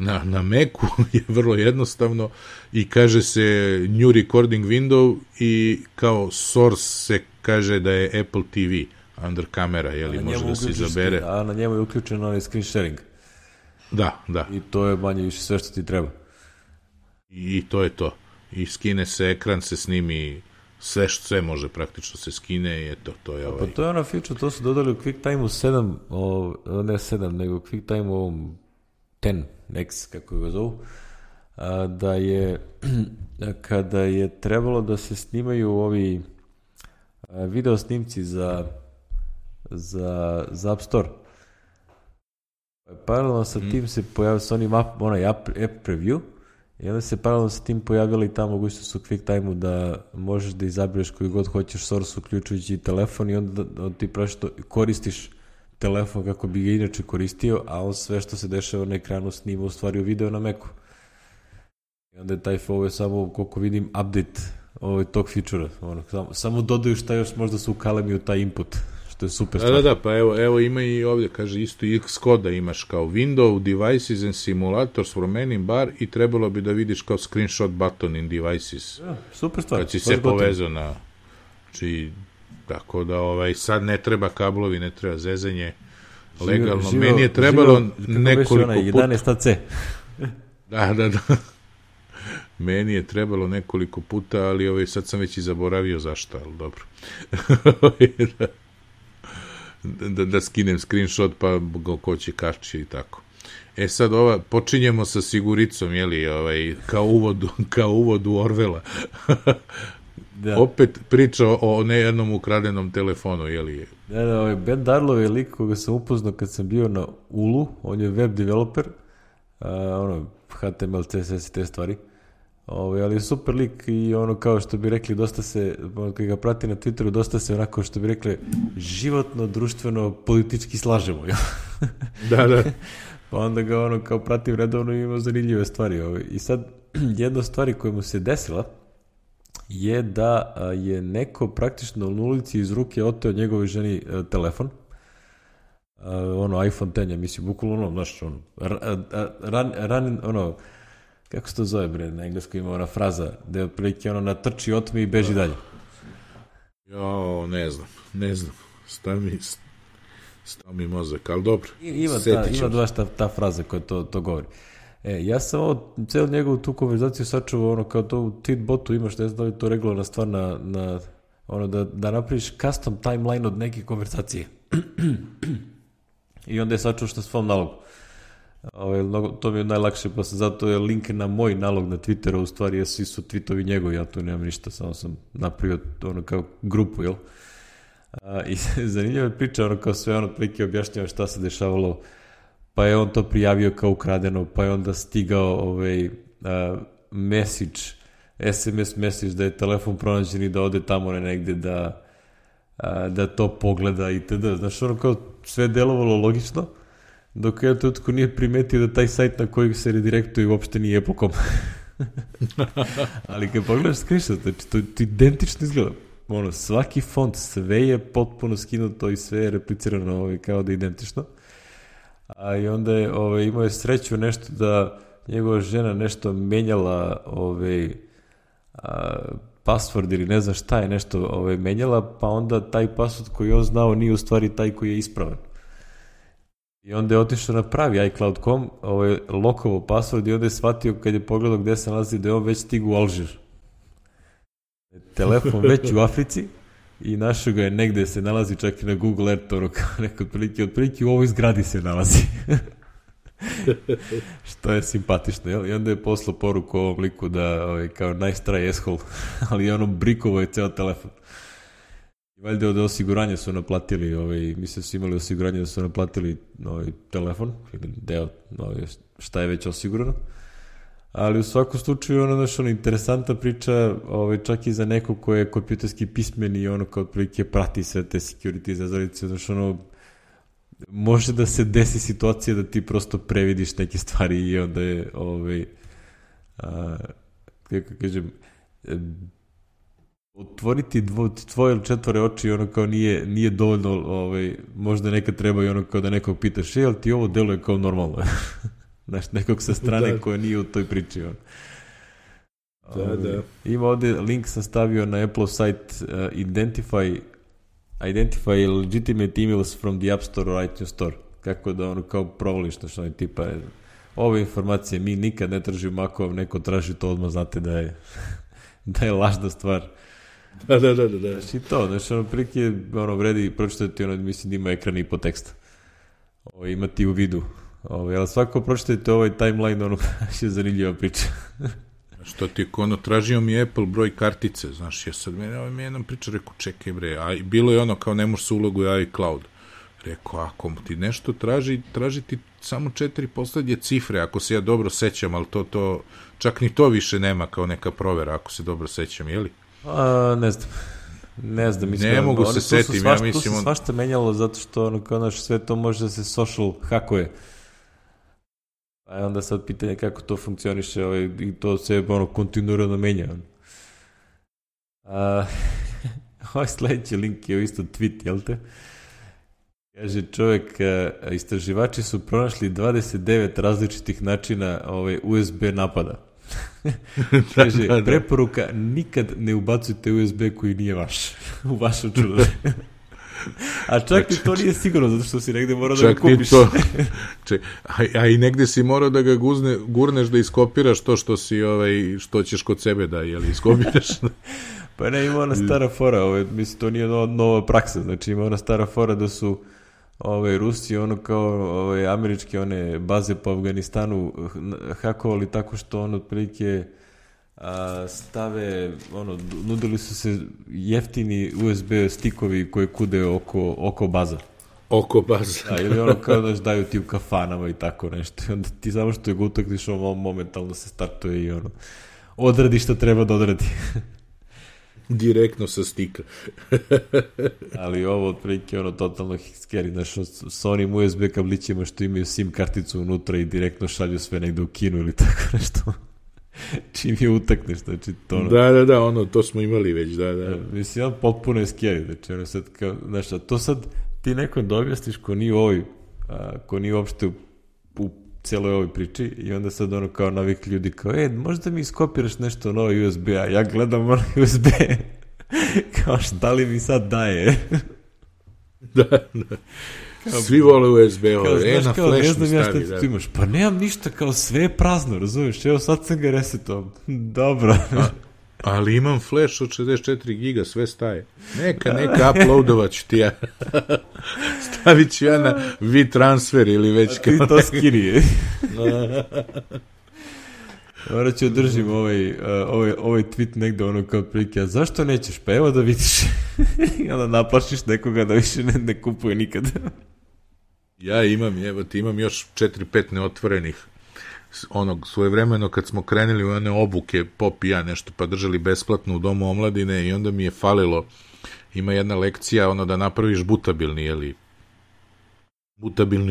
na Macu je vrlo jednostavno i kaže se New Recording Window i kao source se kaže da je Apple TV under kamera, jeli, može da se izabere. A na njemu je uključen onaj screen sharing. Da. I to je manje više sve što ti treba. I to je to. I skine se ekran, se snimi, sve može praktično se skine i eto, to je Pa to je ona feature, to su dodali u QuickTime-u 7, ne 7, nego u QuickTime-u ovom 10, X, kako ga zovu, da je, kada je trebalo da se snimaju ovi video snimci za App Store, paralelno sa tim se pojavio sa onim onaj app preview i onda se paralelno sa tim pojavila i ta mogućnost u QuickTime-u da možeš da izabereš koji god hoćeš source uključujući i telefon i onda ti praviš koristiš telefon kako bi ga inače koristio, a on sve što se dešava na ekranu snima u stvari u video na Macu. I onda je ovo je samo, koliko vidim, update tog feature-a. Samo dodaju šta još možda su ukalemi u taj input, što je super stvar. Da, pa evo ima i ovdje, kaže isto Xcode da imaš kao window, devices and simulators for menu bar i trebalo bi da vidiš kao screenshot button in devices. Ja, super stvar. Kad si se povezao na... Znači, tako da sad ne treba kablovi, ne treba zezanje, legalno. Meni je trebalo nekoliko puta... 11AC. Da. Meni je trebalo nekoliko puta, ali sad sam već i zaboravio zašto, ali dobro. da skinem screenshot, pa ga ko će kašći i tako. Sad počinjemo sa siguricom, jeli, kao uvod u Orvela. Da. Opet priča o nejednom ukradenom telefonu, jeli? Da, Ben Darlow je lik koga sam upoznao kad sam bio na Ulu, on je web developer, HTML, CSS i te stvari, ali je super lik i kao što bi rekli, dosta se, kad ga prati na Twitteru, dosta se onako što bi rekli, životno, društveno, politički slažemo. Da. Pa onda ga kao pratim redovno i ima zanimljive stvari. I sad, jedna stvar koja mu se desila je da je neko praktično u ulici iz ruke oteo njegovoj ženi telefon, iPhone 10, ja mislim, bukvalno znaš, kako se to zove, bre, na engleskom ima ona fraza, da je otprilike natrči, otme i beži dalje. Ne znam, stav mi mozak, ali dobro. Ima baš ta fraza koja to govori. Ja sam celu njegovu tu konverzaciju sačuvao kao to u tweetbotu imaš, ne znam da li to regularna stvar da napraviš custom timeline od neke konverzacije. I onda je sačuvao što svom nalogu. To mi je najlakše, pa sam zato je link na moj nalog na Twitteru, u stvari svi su tweetovi njegovi, ja tu nemam ništa, samo sam napravio kao grupu, jel? I zanimljiva je priča, kao sve prilike objašnjava šta se dešavalo, pa je on to prijavio kao ukradeno, pa je onda stigao SMS message da je telefon pronađen i da ode tamo negde da to pogleda itd. Znaš, kao sve delovalo logično, dok ja tutko nije primetio da taj sajt na koji se redirektuje uopšte nije Apple.com. Ali kad pogledaš screenshot, znači to identično izgleda. Svaki font, sve je potpuno skinuto i sve je replicirano kao da je identično. A i onda je imao je sreću nešto da njegova žena nešto menjala password ili ne znam šta je nešto menjala, pa onda taj password koji on znao nije u stvari taj koji je ispravan. I onda je otišao na pravi iCloud.com, lokovo password i onda je shvatio kad je pogledao gde se nalazi da je on već stigu u Alžir. Telefon već u Africi i našao ga je negde se nalazi čak i na Google Earth, neko otprilike u ovoj zgradi se nalazi. Što je simpatično, jel? I onda je poslao poruku ovom liku da kao nice try asshole, ali ono brikovo je ceo telefon. I valjda od osiguranja su naplatili, mislim su imali osiguranje da su naplatili telefon, ili deo, šta je već osigurano. Ali u svakom slučaju ono interesantna priča, čak i za nekog ko je kompjuterski pismen i ono kao otprilike prati sve te security zazorice, može da se desi situacija da ti prosto previdiš neke stvari i onda je kako kažem, otvoriti tvoje ili četvore oči ono kao nije dovoljno, možda nekad treba i ono kao da nekog pitaš, jel ti ovo deluje kao normalno? Znaš, nekog sa strane koja nije u toj priči. Da. Ima ovde, link sam stavio na Apple site, identify legitimate emails from the App Store or iTunes Store. Kako da ono kao provališ, znači tipa ove informacije mi nikad ne tražimo, ako vam neko traži to odmah znate da je lažna stvar. Da. Znači to, znači ono prilike vredi pročitati, mislim da ima ekran i po teksta. Imati u vidu. Ali svako pročitajte ovaj timeline, je zanimljiva priča. Što ti tražio mi Apple broj kartice, znaš, ja sad mi jednom priča, rekao, čekaj bre, a bilo je ono kao ne može se ulogu u iCloud. Rekao, ako ti nešto traži ti samo 4 poslednje cifre, ako se ja dobro sećam, ali to čak ni to više nema kao neka provera, ako se dobro sećam, jeli? Ne znam, mislim, ne mogu se setim, ja mislim... Tu se svašta menjalo zato što sve to može da se social hakuje. A onda sad pitanje kako to funkcioniše i to se kontinuirano menja. Ovaj sledeći link je isto tweet, jel te? Kaže čovjek, istraživači su pronašli 29 različitih načina USB napada. Kaže, preporuka, nikad ne ubacujte USB koji nije vaš u vaš računar. A čak i to nije sigurno, zato što si negde morao da ga kupiš. A i negde si morao da ga gurneš da iskopiraš to što ćeš kod sebe da iskopiraš. Pa ne, ima ona stara fora, mislim, to nije nova praksa, znači ima ona stara fora da su Rusi, kao američke one baze po Afganistanu hakovali tako što otprilike stave, nudili su se jeftini USB stikovi koje kude oko baza. Oko baza. Ili kao da daju ti u kafanama i tako nešto. I onda ti samo što ga utakniš, momentalno se startuje i odradi što treba da odradi. Direktno sa stika. Ali ovo otprilike totalno scary, znaš, sa onim USB kablićima što imaju SIM karticu unutra i direktno šalju sve negde u Kinu ili tako nešto. Čim je utakneš, znači to... Da, to smo imali već, da. Mislim, potpuno je scary, znači sad kao, znaš, a to sad ti nekom da objasniš ko nije uopšte u celoj ovoj priči i onda sad kao navik ljudi kao, možda mi iskopiraš nešto novo USB, a ja gledam USB kao šta li mi sad daje? Da. Svi vole USB-ove, na flash mi stavi. Ja šta ti imaš, pa nemam ništa, kao sve je prazno, razumiješ, evo sad sam ga resetovao, dobro. Ali imam flash od 64 giga, sve staje. Neka uploadovat ću ti ja. Stavit ću ja na WeTransfer ili već kao... A ti to skini. Morat ću održim ovaj tweet negde kao prilike, a zašto nećeš? Pa evo da vidiš. I onda naplašiš nekoga da više ne kupuje nikad. Ja imam još 4-5 neotvorenih. Svojevremeno kad smo krenuli u one obuke, Pop i ja nešto pa držali besplatno u Domu omladine i onda mi je falilo, ima jedna lekcija da napraviš butabilni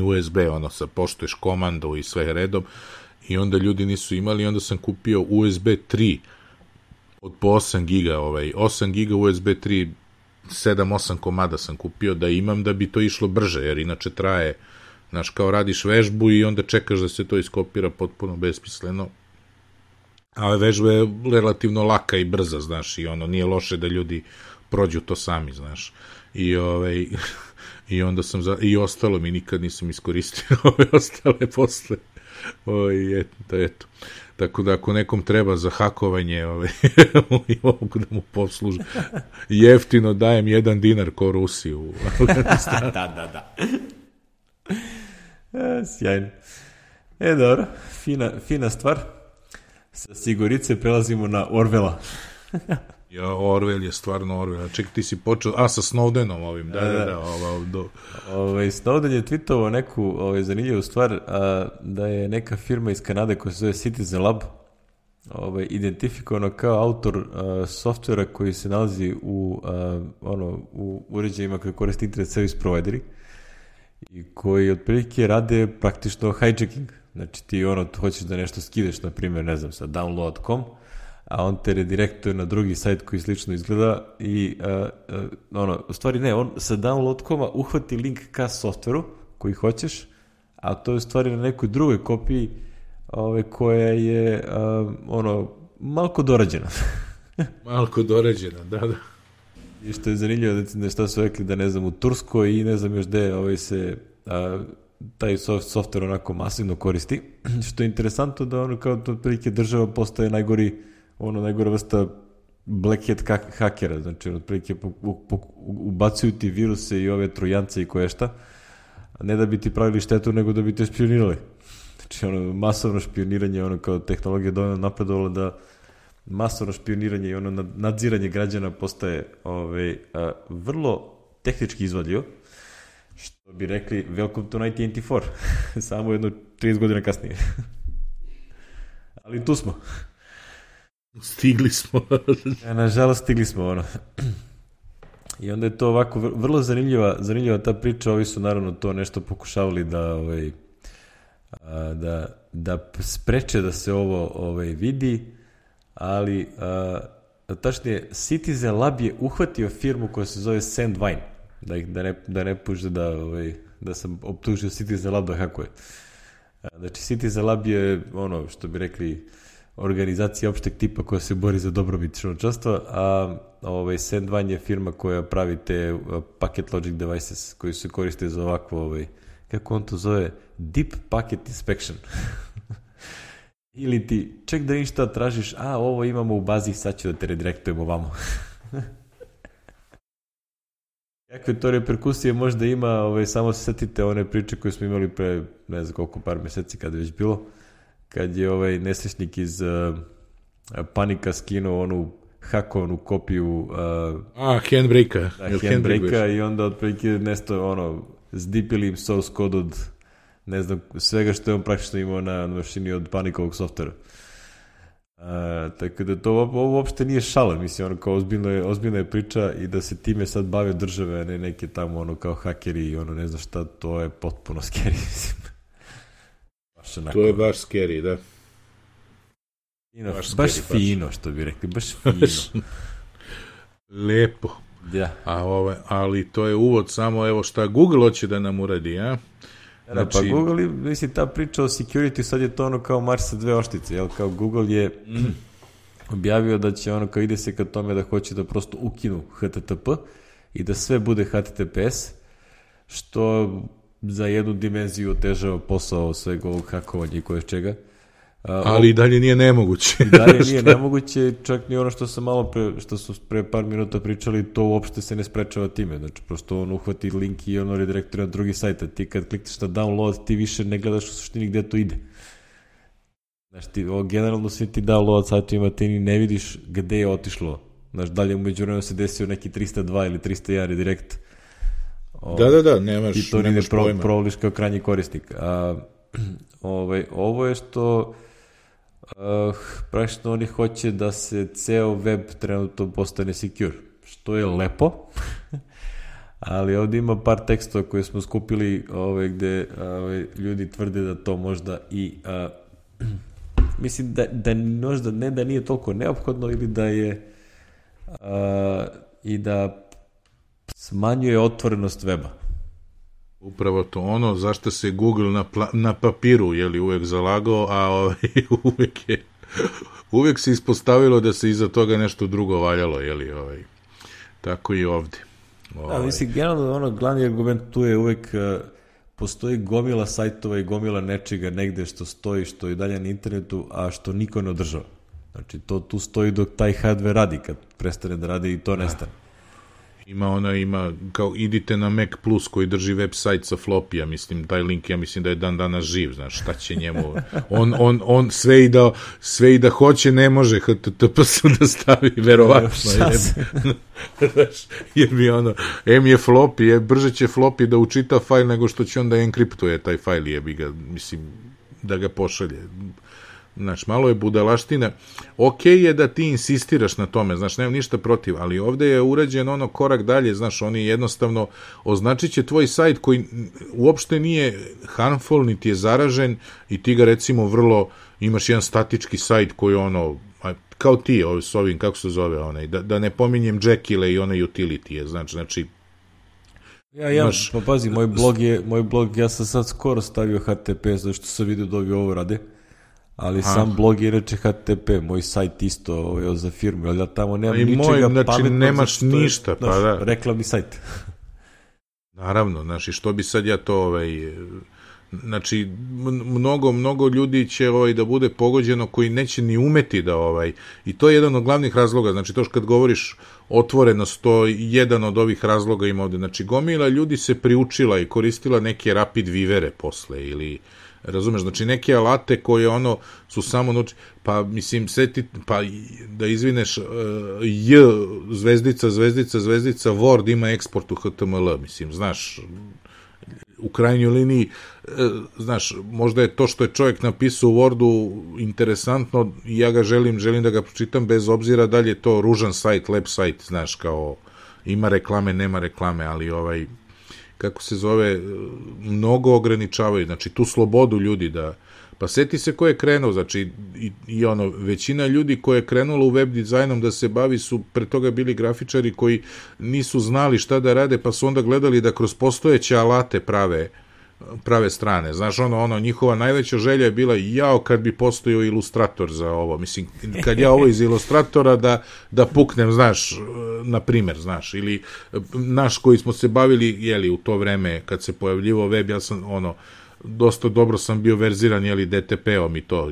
USB, poštuješ komandu i sve redom i onda ljudi nisu imali i onda sam kupio USB 3 od po 8 giga, 8 giga USB 3, 7-8 komada sam kupio da imam da bi to išlo brže, jer inače traje, znaš, kao radiš vežbu i onda čekaš da se to iskopira potpuno besmisleno. Ali vežba je relativno laka i brza, znaš, i ono, nije loše da ljudi prođu to sami, znaš. I onda sam i ostalo mi nikad nisam iskoristio ove ostale posle. Eto. Tako da ako nekom treba za hakovanje mogu da mu posluži. Jeftino dajem $1 ko Rusi u Afganistanu. Da. Sjajno. Dobro, fina stvar. Sa Sigorice prelazimo na Orwella. Ja, Orwell je stvarno Orwell. Čekaj, ti si počeo, sa Snowdenom ovim, da. Snowden je tweetovao neku zanimljivu stvar, da je neka firma iz Kanade koja se zove Citizen Lab identifikovano kao autor softvera koji se nalazi u uređajima koje koriste internet service provideri i koji otprilike rade praktično hijacking. Znači ti hoćeš da nešto skideš, na primjer, ne znam, sa download.com, a on te redirektuje na drugi sajt koji slično izgleda i u stvari ne, on sa download.com-a uhvati link ka softveru koji hoćeš, a to je u stvari na nekoj drugoj kopiji koja je malko dorađena. Malko dorađena, da. I što je zanimljivo da šta su rekli da ne znam u Turskoj i ne znam još gde se taj softver onako masivno koristi, što je interesantno da kao otprilike država postaje najgora vrsta black hat hakera, znači otprilike ubacuju ti viruse i ove trojance i koješta, ne da bi ti pravili štetu, nego da bi te špionirali. Znači masovno špioniranje, kao tehnologija dovoljno napredovala da masovno špioniranje i nadziranje građana postaje vrlo tehnički izvodljivo, što bi rekli welcome to 1984, samo jedno 30 godina kasnije. Ali tu smo. Stigli smo. Nažalost, stigli smo, I onda je to ovako vrlo zanimljiva ta priča. Ovi su naravno to nešto pokušavali da spreče da se ovo da ali tačnije Citizen Lab je uhvatio firmu koja se zove Sandvine, da ne puže da sam optužio Citizen Lab da hakuje. Znači Citizen Lab je što bi rekli organizacija opšteg tipa koja se bori za dobrobit čovečanstva, a Sandvine je firma koja pravi te packet logic devices koji se koriste za ovakvo kako on to zove, deep packet inspection. Ili ti, ček da vidim šta tražiš, ovo imamo u bazi, sad ću da te redirektujemo ovamo. Kakve to reperkusije možda ima, samo se setite one priče koje smo imali pre, ne znam koliko, par meseci kada je već bilo, kad je nesrećnik iz Panika skinuo onu hakovanu kopiju Handbrake-a i onda otprilike nešto zdipili im source code od ne znam, svega što je on praktično imao na mašini od Panikovog softvera. Tako da ovo uopšte nije šala, mislim, kao ozbiljna je priča i da se time sad bave države, a ne neke tamo kao hakeri i ne znam šta, to je potpuno scary, mislim. To je baš scary, da. Baš fino, što bi rekli, baš fino. Lepo. Da. Ali to je uvod samo, evo šta Google hoće da nam uradi, a? Znači, pa Google, mislim, ta priča o security, sad je to kao Mars sa dve oštice, jel? Kao Google je objavio da će kao ide se ka tome da hoće da prosto ukinu HTTP i da sve bude HTTPS, što za jednu dimenziju otežava posao sveg ovog hakovanja i koje čega. Ali i dalje nije nemoguće. I dalje nije nemoguće, čak ni što sam što su pre par minuta pričali, to uopšte se ne sprečava time. Znači, prosto on uhvati link i redirektira na drugi sajt, a ti kad klikneš na download, ti više ne gledaš u suštini gde to ide. Znači, generalno svi ti download sajtovima ti ni ne vidiš gde je otišlo. Znači, dalje umeđu vremenu se desio neki 302 ili 301 redirekt. Da, nemaš pojma. I to nije provoliš kao krajnji korisnik. Ovo je što praktično oni hoće da se ceo web trenutno postane secure, što je lepo, ali ovdje ima par tekstova koje smo skupili gde ljudi tvrde da to možda i mislim da možda ne da nije toliko neophodno ili da je i da smanjuje otvorenost weba. Upravo to zašto se Google na papiru uvek zalagao, a uvek je uvek se ispostavilo da se iza toga nešto drugo valjalo, jeli, tako i ovde. Da, mislim, generalno, glavni argument tu je uvek postoji gomila sajtova i gomila nečega negde što stoji, što je dalje na internetu, a što niko ne održava. Znači, to tu stoji dok taj hardware radi, kad prestane da radi i to nestane. Ima, kao idite na Mac Plus koji drži website sa flopija, mislim, taj link, ja mislim da je dan danas živ, znaš, šta će njemu, on sve i da hoće, ne može HTTPS da stavi, verovatno, jer mi je floppy, brže će floppy da učita fajl nego što će on da enkriptuje taj fajl, jebi ga, mislim, da ga pošalje. Znaš, malo je budalaština. Okej je da ti insistiraš na tome, znaš, nemam ništa protiv, ali ovde je urađen korak dalje, znaš, oni jednostavno označit će tvoj sajt koji uopšte nije harmful, niti je zaražen i ti ga recimo imaš jedan statički sajt koji kao ti, s ovim, kako se zove, da ne pominjem Jekyll i utility, znači pa pazi, moj blog, ja sam sad skoro stavio HTTP, zašto sam vidio da ovi ovo rade. Ali sam blog je reče HTTP, moj sajt isto za firmu, ali ja tamo nemam ničega pametno. Znači nemaš ništa, pa da. Reklamni sajt. Naravno, znači što bi sad ja to, znači mnogo ljudi će da bude pogođeno koji neće ni umeti da i to je jedan od glavnih razloga, znači to što kad govoriš otvorenost, to jedan od ovih razloga ima ovde, znači gomila ljudi se priučila i koristila neke rapid vivere posle ili razumeš, znači neke alate koje su samo pa mislim pa da izvineš zvezdica Word ima eksport u HTML, mislim, znaš, u krajnjoj liniji, znaš, možda je to što je čovjek napisao u Wordu interesantno i ja ga želim da ga pročitam bez obzira da li je to ružan sajt, lep sajt, znaš, kao ima reklame, nema reklame, ali kako se zove, mnogo ograničavaju, znači tu slobodu ljudi pa seti se ko je krenuo, znači većina ljudi koja je krenula u web dizajnom da se bavi su pre toga bili grafičari koji nisu znali šta da rade, pa su onda gledali da kroz postojeće alate prave strane, znaš, njihova najveća želja je bila, kad bi postojao ilustrator za ovo, mislim, kad ja ovo iz ilustratora da puknem, znaš, na primer, znaš, ili naš koji smo se bavili, u to vreme, kad se pojavljivao web, ja sam, dosta dobro sam bio verziran, DTP-om i to,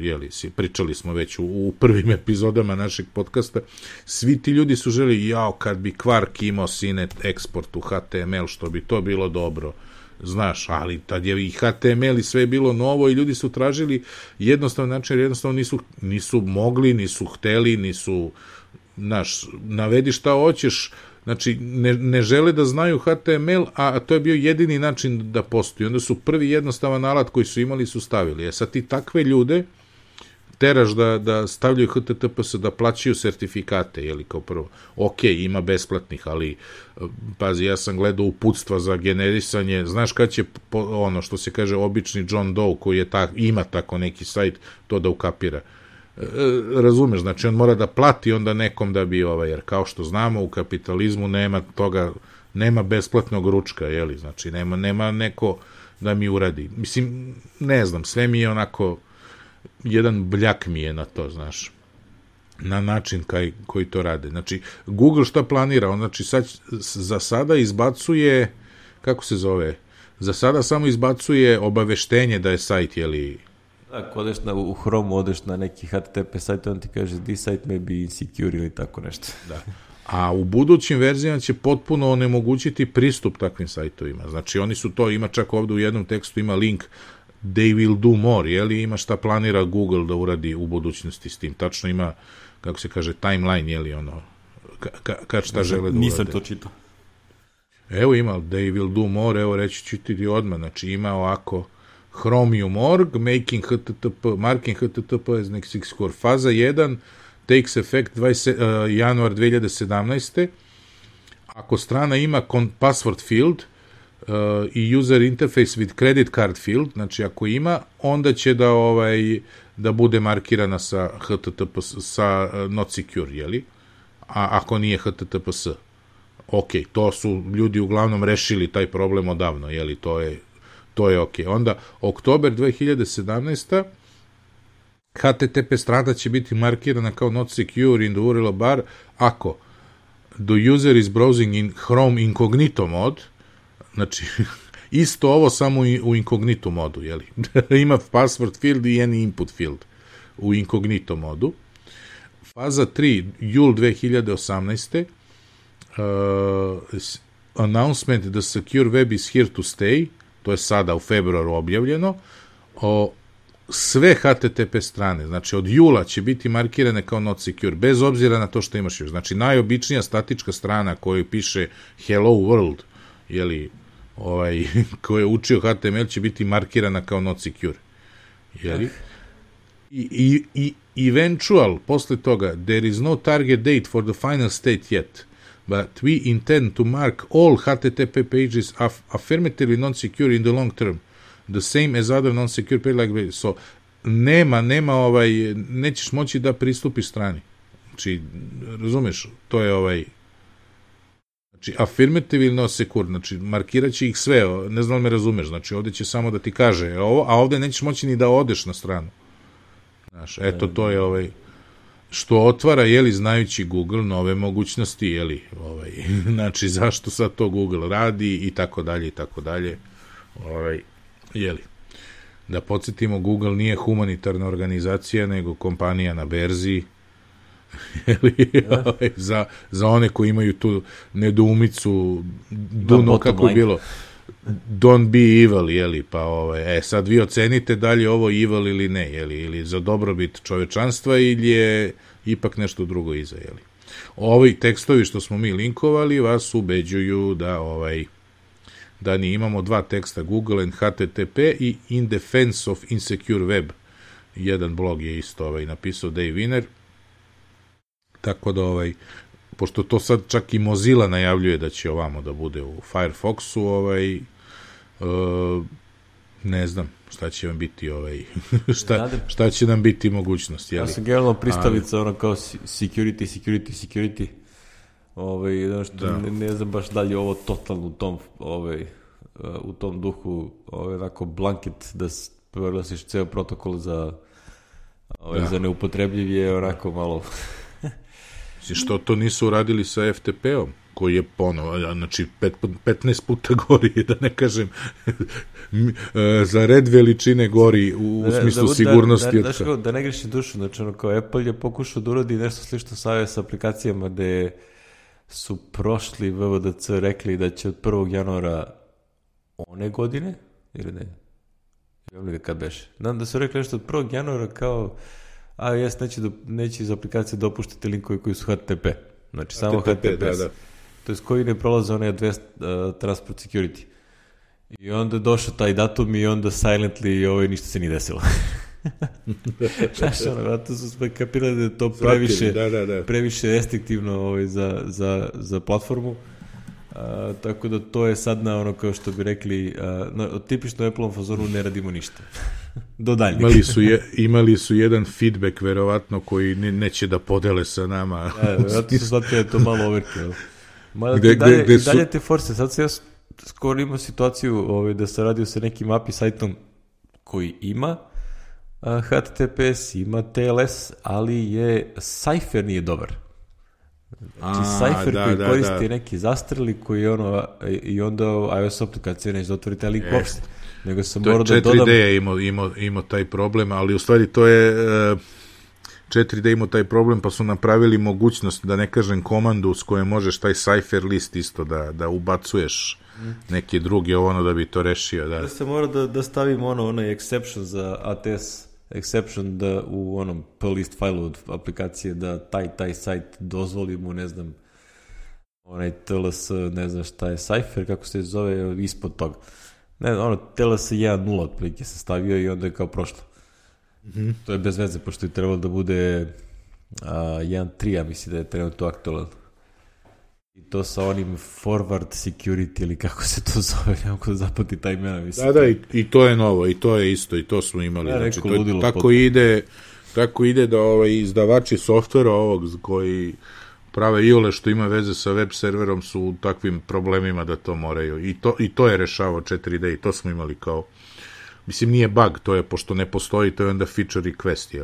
pričali smo već u prvim epizodama našeg podcasta, svi ti ljudi su želi, kad bi Quark imao Sinet eksport u HTML, što bi to bilo dobro, znaš, ali tad je i HTML i sve bilo novo i ljudi su tražili jednostavno način, jednostavno nisu mogli, nisu hteli, nisu, znaš, navedi šta hoćeš, znači ne žele da znaju HTML, a to je bio jedini način da postoji. Onda su prvi jednostavan alat koji su imali su stavili. Sad ti takve ljude teraš da stavljaju HTTPS, da plaćaju sertifikate, kao prvo. Ok, ima besplatnih, ali pazi, ja sam gledao uputstva za generisanje, znaš kad će što se kaže obični John Doe koji ima tako neki sajt, to da ukapira. Razumeš, znači on mora da plati onda nekom da bi jer kao što znamo u kapitalizmu nema toga, nema besplatnog ručka, znači nema neko da mi uradi. Mislim, ne znam, sve mi je onako jedan bljak mi je na to, znaš, na način koji to rade. Znači, Google šta planira? On, znači, za sada izbacuje, kako se zove, za sada samo izbacuje obaveštenje da je sajt, Ako odeš u Chrome, odeš na neki HTTP sajt, on ti kaže, this site may be insecure ili tako nešto. Da. A u budućim verzijama će potpuno onemogućiti pristup takvim sajtovima. Znači, oni su to, ima čak ovde u jednom tekstu, ima link they will do more, ima šta planira Google da uradi u budućnosti s tim. Tačno ima, kako se kaže, timeline, kad šta žele da urade. Nisam to čitao. Evo ima, they will do more, evo reći ću ti odmah, znači ima ovako Chromium.org, marking HTTP as next core. Faza 1 takes effect januar 2017. Ako strana ima password field i user interface with credit card field, znači ako ima, onda će da bude markirana sa HTTP, sa not secure, a ako nije HTTPS. Ok, to su ljudi uglavnom rešili taj problem odavno, to je ok. Onda, oktober 2017. HTTP strana će biti markirana kao not secure in the URL bar ako the user is browsing in Chrome incognito mode, znači isto ovo samo u incognito modu, jeli? Ima password field i any input field u incognito modu. Faza 3, jul 2018. Announcement the secure web is here to stay, to je sada u februaru objavljeno. Sve HTTP strane, znači od jula će biti markirane kao not secure, bez obzira na to što imaš još. Znači najobičnija statička strana koju piše hello world, jeli, ko je učio HTML će biti markirana kao not secure. Jeli? I eventual, posle toga, there is no target date for the final state yet, but we intend to mark all HTTP pages affirmatively non-secure in the long term, the same as other non-secure page like so nema nećeš moći da pristupiš strani. Znači, razumeš, to je znači, affirmatively non-secure, znači, markirat će ih sve, ne znam li me razumeš, znači, ovde će samo da ti kaže ovo, a ovde nećeš moći ni da odeš na stranu. Znaš, eto, to je što otvara, jeli, znajući Google nove mogućnosti, jeli, znači, zašto sad to Google radi i tako dalje, i tako dalje, jeli. Da podsjetimo, Google nije humanitarna organizacija, nego kompanija na berzi, jeli, za one koji imaju tu nedoumicu, kako je bilo, don't be evil, jeli, pa sad vi ocenite da li je ovo evil ili ne, jeli, ili za dobrobit čovečanstva ili je ipak nešto drugo iza, jeli. Ovi tekstovi što smo mi linkovali vas ubeđuju da ni imamo dva teksta, Google and HTTP i In Defense of Insecure Web. Jedan blog je isto napisao Dave Wiener, tako da pošto to sad čak i Mozilla najavljuje da će ovamo da bude u Firefoxu, ne znam šta će vam biti šta će nam biti mogućnost, jeli? Ja sam generalno pristalica kao security, što ne znam baš da li je ovo totalno u tom duhu, onako blanket da proglasiš ceo protokol za neupotrebljiv je onako malo... Što to nisu uradili sa FTP-om, koji je ponovo, znači 15 puta gori, da ne kažem, za red veličine gori u smislu sigurnosti. Da ne grešim dušu, znači kao Apple je pokušao da uradi nešto slično sa iOS aplikacijama gde su prošli VVDC rekli da će od 1. januara one godine, ili ne? Kad beše? Da su rekli nešto od 1. januara kao iOS neće iz aplikacije dopuštati linkove koji su HTTP. Znači samo HTTPS. To je koji ne prolaze one Advanced Transport Security. I onda je došao taj datum i onda silently ništa se nije desilo. Znaš, vratno su sve kapirali da je to previše restriktivno za platformu. Tako da to je sad na kao što bi rekli, tipično Apple-om fazonu ne radimo ništa. Do daljnjeg. Imali su jedan feedback, verovatno, koji neće da podele sa nama. Vjerojatno su shvatili da je to malo overkill. Dalje te force. Sad se ja skoro imao situaciju da se radio sa nekim API sajtom koji ima HTTPS, ima TLS, ali Cypher nije dobar. Znači Cypher koji koristi neki zastreli koji i onda iOS aplikacija neće da otvori taj link uopšte. Nego sam morao da dodam... 4D je imao taj problem, ali u stvari to je 4D imao taj problem, pa su napravili mogućnost, da ne kažem komandu s kojom možeš taj Cypher list isto da ubacuješ neke druge da bi to rešio. Da se mora da stavimo onaj exception za ATS exception da u onom plist failu od aplikacije da taj sajt dozvoli mu, ne znam, onaj TLS, ne znam šta je Cypher, kako se zove, ispod toga. Ne, TLS 1.0 otprilike se stavio i onda je kao prošlo. To je bez veze, pošto je trebalo da bude 1.3, ja mislim da je trebalo to aktualan. I to sa onim forward security ili kako se to zove, ne mogu da zapati taj imena. Mislim. Da, i to je novo, i to je isto, i to smo imali. Ja, znači, tako ide da izdavači softvera ovog koji prave iole što ima veze sa web serverom su u takvim problemima da to moraju. I to je rešavao 4D i to smo imali kao mislim, nije bug, to je, pošto ne postoji, to je onda feature request,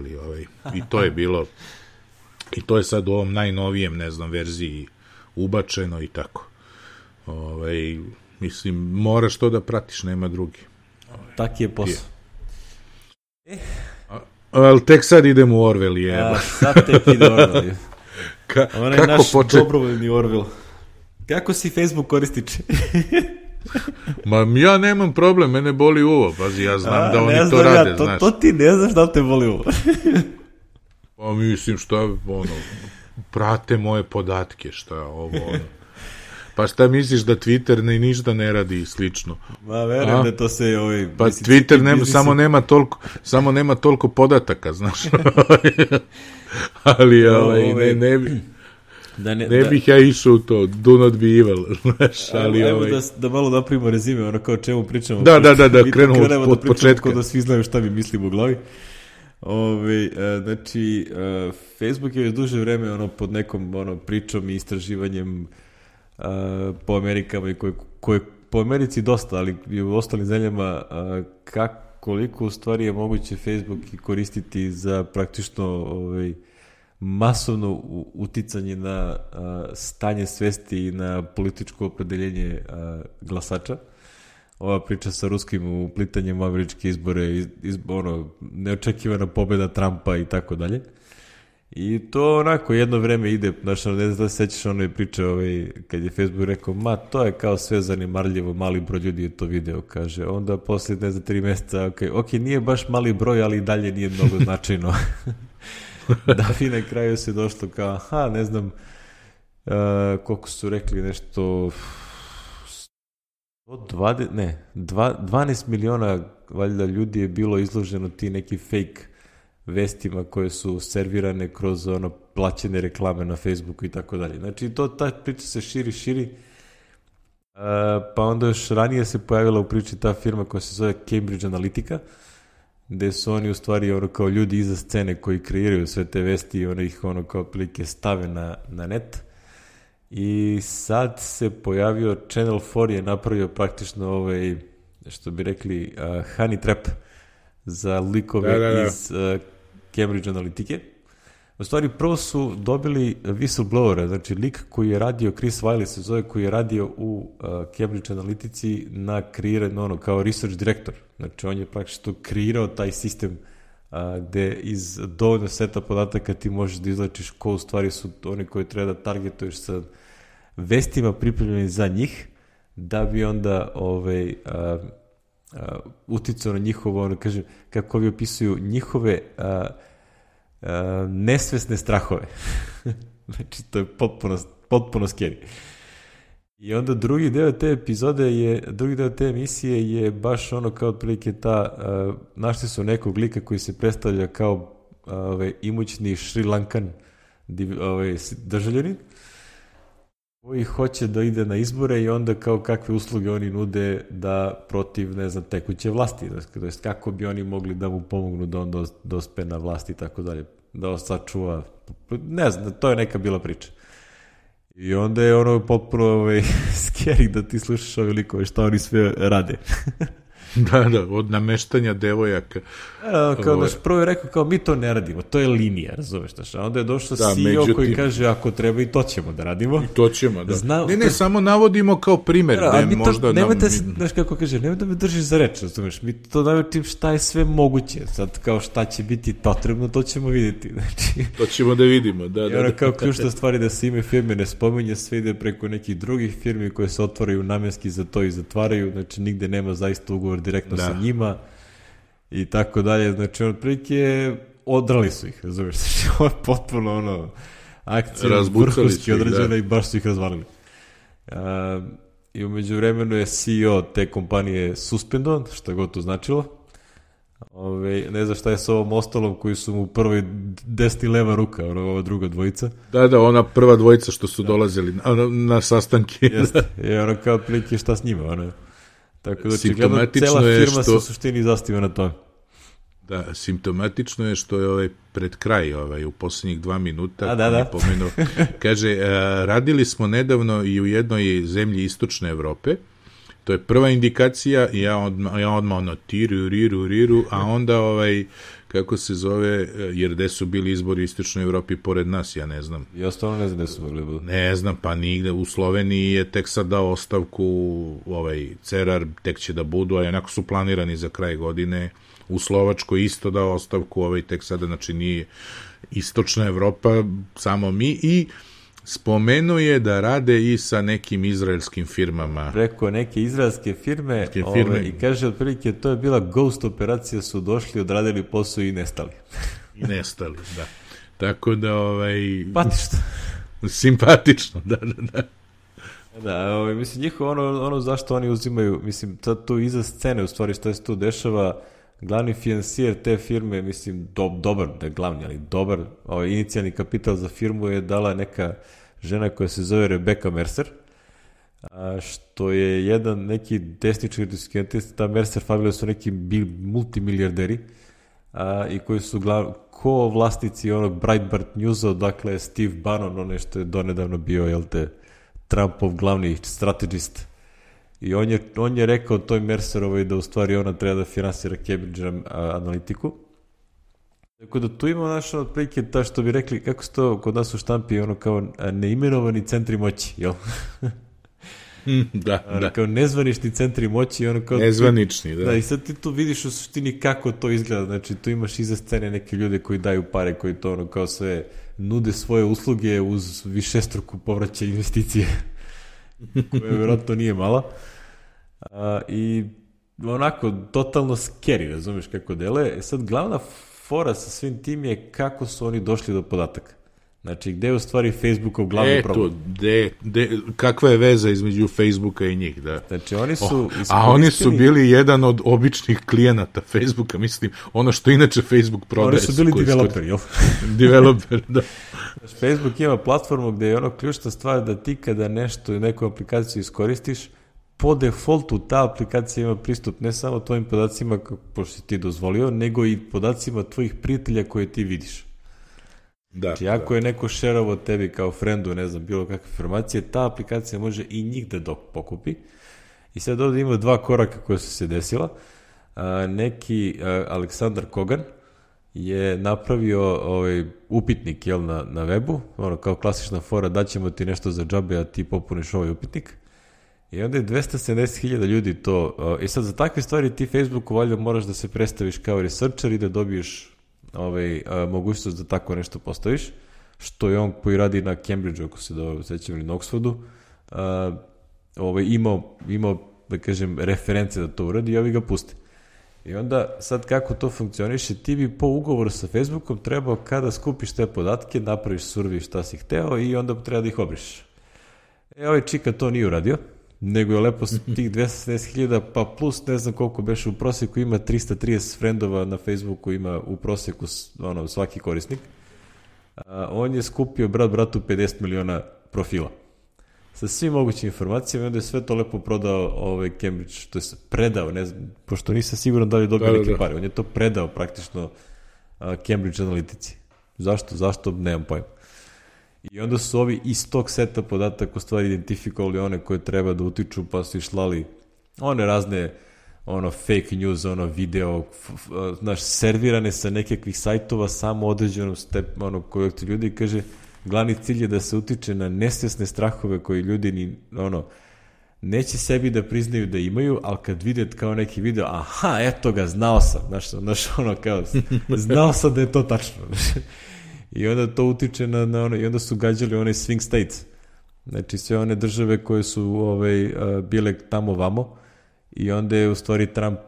i to je bilo, i to je sad u ovom najnovijem, ne znam, verziji ubačeno i tako. Mislim, moraš to da pratiš, nema drugi. Tak je posao. Ali tek sad idem u Orwell, jeba. Sad tek ide Orwell. On je naš dobrovoljni Orwell. Kako si Facebook korističe? Ma ja nemam problem, mene boli uvo, pazi, ja znam da oni to rade, znaš. To ti ne znaš da li te boli uvo. Pa mislim, prate moje podatke, Pa šta misliš da Twitter ništa ne radi i slično? Ma verujem da to se pa Twitter samo nema toliko podataka, znaš. Ali ne bih ja išao u to, do not be evil, znaš, ali Evo da malo napravimo rezime, ono kao o čemu pričamo. Da, krenemo od početka. Da svi znaju šta mi mislimo u glavi. Znači, Facebook je još duže vreme pod nekom pričom i istraživanjem po Amerikama i koje po Americi dosta, ali i u ostalim zemljama, koliko u stvari je moguće Facebook koristiti za praktično masovno uticanje na stanje svesti i na političko opredeljenje glasača. Ova priča sa ruskim uplitanjem u američke izbore, neočekivana pobjeda Trumpa i tako dalje. I to onako jedno vreme ide, znaš, ne znam da se sećaš onoj priče kad je Facebook rekao, to je kao sve zanimarljivo, mali broj ljudi je to video, kaže. Onda posle, ne znam, 3 mjeseca, ok, nije baš mali broj, ali i dalje nije mnogo značajno. Da bi na kraju se došlo kao, ne znam, koliko su rekli nešto, 12 miliona valjda ljudi je bilo izloženo ti neki fake vestima koje su servirane kroz plaćene reklame na Facebooku i tako dalje. Znači, ta priča se širi, pa onda još ranije se pojavila u priči ta firma koja se zove Cambridge Analytica, gde su oni u stvari kao ljudi iza scene koji kreiraju sve te vesti i ih kao prilike stave na net. I sad se pojavio Channel 4 je napravio praktično što bi rekli honey trap za likove iz Cambridge Analytike. U stvari prvo su dobili whistleblowera, znači lik koji je radio, Chris Wiley se zove, koji je radio u Cambridge Analytici na kreiranju kao research director. Znači on je praktično kreirao taj sistem gde iz dovoljno seta podataka ti možeš da izlačiš ko u stvari su oni koji treba da targetuješ sa vestima pripremljeni za njih, da bi onda uticao na njihovo, kažem, kako vi opisuju, njihove nesvesne strahove. Znači, to je potpuno scary. I onda drugi deo te emisije je baš kao otprilike našli su nekog lika koji se predstavlja kao imućni Sri Lankan državljanin, koji hoće da ide na izbore i onda kao kakve usluge oni nude da protiv, ne znam, tekuće vlasti, to jest kako bi oni mogli da mu pomognu da on dospe na vlast i tako dalje, da sačuva, ne znam, to je neka bila priča. I onda je potpuno scary da ti slušaš ove likove šta oni sve rade. Da, od nameštanja devojaka. Prvo je rekao kao mi to ne radimo, to je linija, razumeš, a onda je došao CEO koji kaže ako treba i to ćemo da radimo. I to ćemo, da. Ne, samo navodimo kao primjer. Nemojte, znaš kako kaže, nemoj da me držiš za reč, razumeš, mi to navodim šta je sve moguće, sad kao šta će biti potrebno, to ćemo vidjeti. Znači, to ćemo da vidimo, da. I kao ključna stvar je da se ime firme ne spominje, sve ide preko nekih drugih firmi koje se otvaraju namenski za to i zatvaraju, znači nigde nema zaista ugovor direktno sa njima i tako dalje, znači otprilike odrali su ih, razumiješ, znači ovo je potpuno akcija vrhunski određena i baš su ih razvalili. I umeđu vremenu je CEO te kompanije suspendovan, što god to značilo. Ne znam šta je s ovom ostalom koji su mu prvoj desni leva ruka, ova druga dvojica. Da, ona prva dvojica što su dolazili na sastanke. Jeste, i kao otprilike šta s njima, tako da očigledno cela firma se u suštini zastiva na to. Da, simptomatično je što je pred kraj u posljednjih 2 minuta pomenuo, kaže, radili smo nedavno i u jednoj zemlji istočne Evrope To je prva indikacija i ja odmah ono riru, a onda kako se zove, jer gde su bili izbori u Istočnoj Evropi pored nas, ja ne znam. Ja stvarno ne znam gde su mogli budu. Ne znam, pa nigde. U Sloveniji je tek sad dao ostavku Cerar, tek će da budu, a onako su planirani za kraj godine. U Slovačkoj isto dao ostavku, tek sada, znači nije Istočna Evropa, samo mi, i spomenuo je da rade i sa nekim izraelskim firmama. Preko neke izraelske firme. I kaže otprilike to je bila ghost operacija, su došli, odradili posao i nestali. I nestali, da. Tako da, Patično. Simpatično, da. Da, mislim, njihovo ono zašto oni uzimaju, mislim, sad tu iza scene, u stvari, što se tu dešava, glavni finansijer te firme, mislim, dobar, ne glavni, ali dobar, inicijalni kapital za firmu je dala neka žena koja se zove Rebecca Mercer, što je neki desnički diskentist. Ta Mercer familija su neki multimilijarderi i koji su ko-vlasnici onog Breitbart Newsa, odakle Steve Bannon, što je donedavno bio, Trumpov glavni strategist. I on je rekao toj Mercerovoj da u stvari ona treba da finansira Cambridge analitiku. Tako da tu ima otprilike ta, što bi rekli, kako se to kod nas u štampi, kao neimenovani centri moći, jel? Da. Kao nezvanični centri moći. Nezvanični, da. Da, i sad ti tu vidiš u suštini kako to izgleda. Znači, tu imaš iza scene neke ljude koji daju pare, koji to kao sve nude svoje usluge uz višestruku povraćaj investicije, koja vjerojatno nije mala. I onako, totalno scary, razumiješ kako dele. Sad, glavna fora sa svim tim je kako su oni došli do podataka. Znači, gde je u stvari Facebookov glavni problem? Kakva je veza između Facebooka i njih, da. Znači, oni su a oni su bili jedan od običnih klijenata Facebooka, mislim, ono što inače Facebook prodaje. Oni su bili developeri, jel? Developer, da. Znači, Facebook ima platformu gde je ključna stvar da ti kada neku aplikaciju iskoristiš, po defaultu ta aplikacija ima pristup ne samo tvojim podacima, pošto si ti dozvolio, nego i podacima tvojih prijatelja koje ti vidiš. Znači, ako je neko šerovo tebi kao frendu, ne znam, bilo kakve informacije, ta aplikacija može i njih da pokupi. I sad ovdje ima dva koraka koja su se desila. Neki Aleksandar Kogan je napravio upitnik na webu, kao klasična fora, daćemo ti nešto za džabe, a ti popuniš ovaj upitnik. I onda je 270.000 ljudi to. I sad za takve stvari ti Facebooku valjda moraš da se predstaviš kao researcher i da dobiješ mogućnost da tako nešto postaviš, što je on koji radi na Cambridgeu, ako se dobro sećam, ili na Oxfordu, imao, da kažem, reference da to uradi i ovi ga puste. I onda, sad kako to funkcioniše, ti bi po ugovoru sa Facebookom trebao, kada skupiš te podatke, napraviš survey šta si hteo i onda treba da ih obrišeš. Ovaj čika to nije uradio, nego je lepo tih 270.000, pa plus ne znam koliko beše u prosjeku, ima 330 frendova na Facebooku, ima u prosjeku svaki korisnik. On je skupio bratu 50 miliona profila sa svim mogućim informacijama i onda je sve to lepo prodao Cambridge, to je predao, ne znam, pošto nisam siguran da li je dobio neke pare, on je to predao praktično Cambridge analitici. Zašto? Nemam pojma. I onda su ovi iz tog seta podataka u stvari identifikovali one koje treba da utiču, pa su išlali one razne fake news, video, servirane sa nekakvih sajtova samo određenom kojeg ti ljudi, kaže, glavni cilj je da se utiče na nesvjesne strahove koji ljudi neće sebi da priznaju da imaju, ali kad vide kao neki video, aha, eto ga, znao sam, znao sam da je to tačno. I onda to utiče i onda su gađali one swing states. Znači sve one države koje su bile tamo vamo i onda je u stvari Trump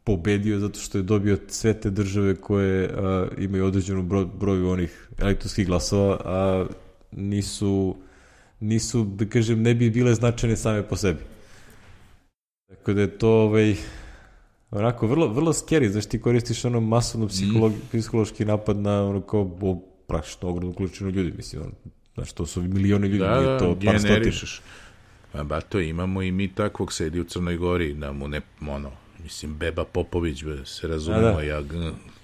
pobedio zato što je dobio sve te države koje imaju određenu broju onih elektronskih glasova, a nisu, da kažem, ne bi bile značajne same po sebi. Tako da je to onako vrlo scary, znaš, ti koristiš masovno psihološki napad na kao praktično ogromnu količinu ljudi, mislim, znači to su milioni ljudi, nije to par generišeš. Bato, imamo i mi takvog, sedi u Crnoj Gori, da mu ne, mislim, Beba Popović, se razumemo,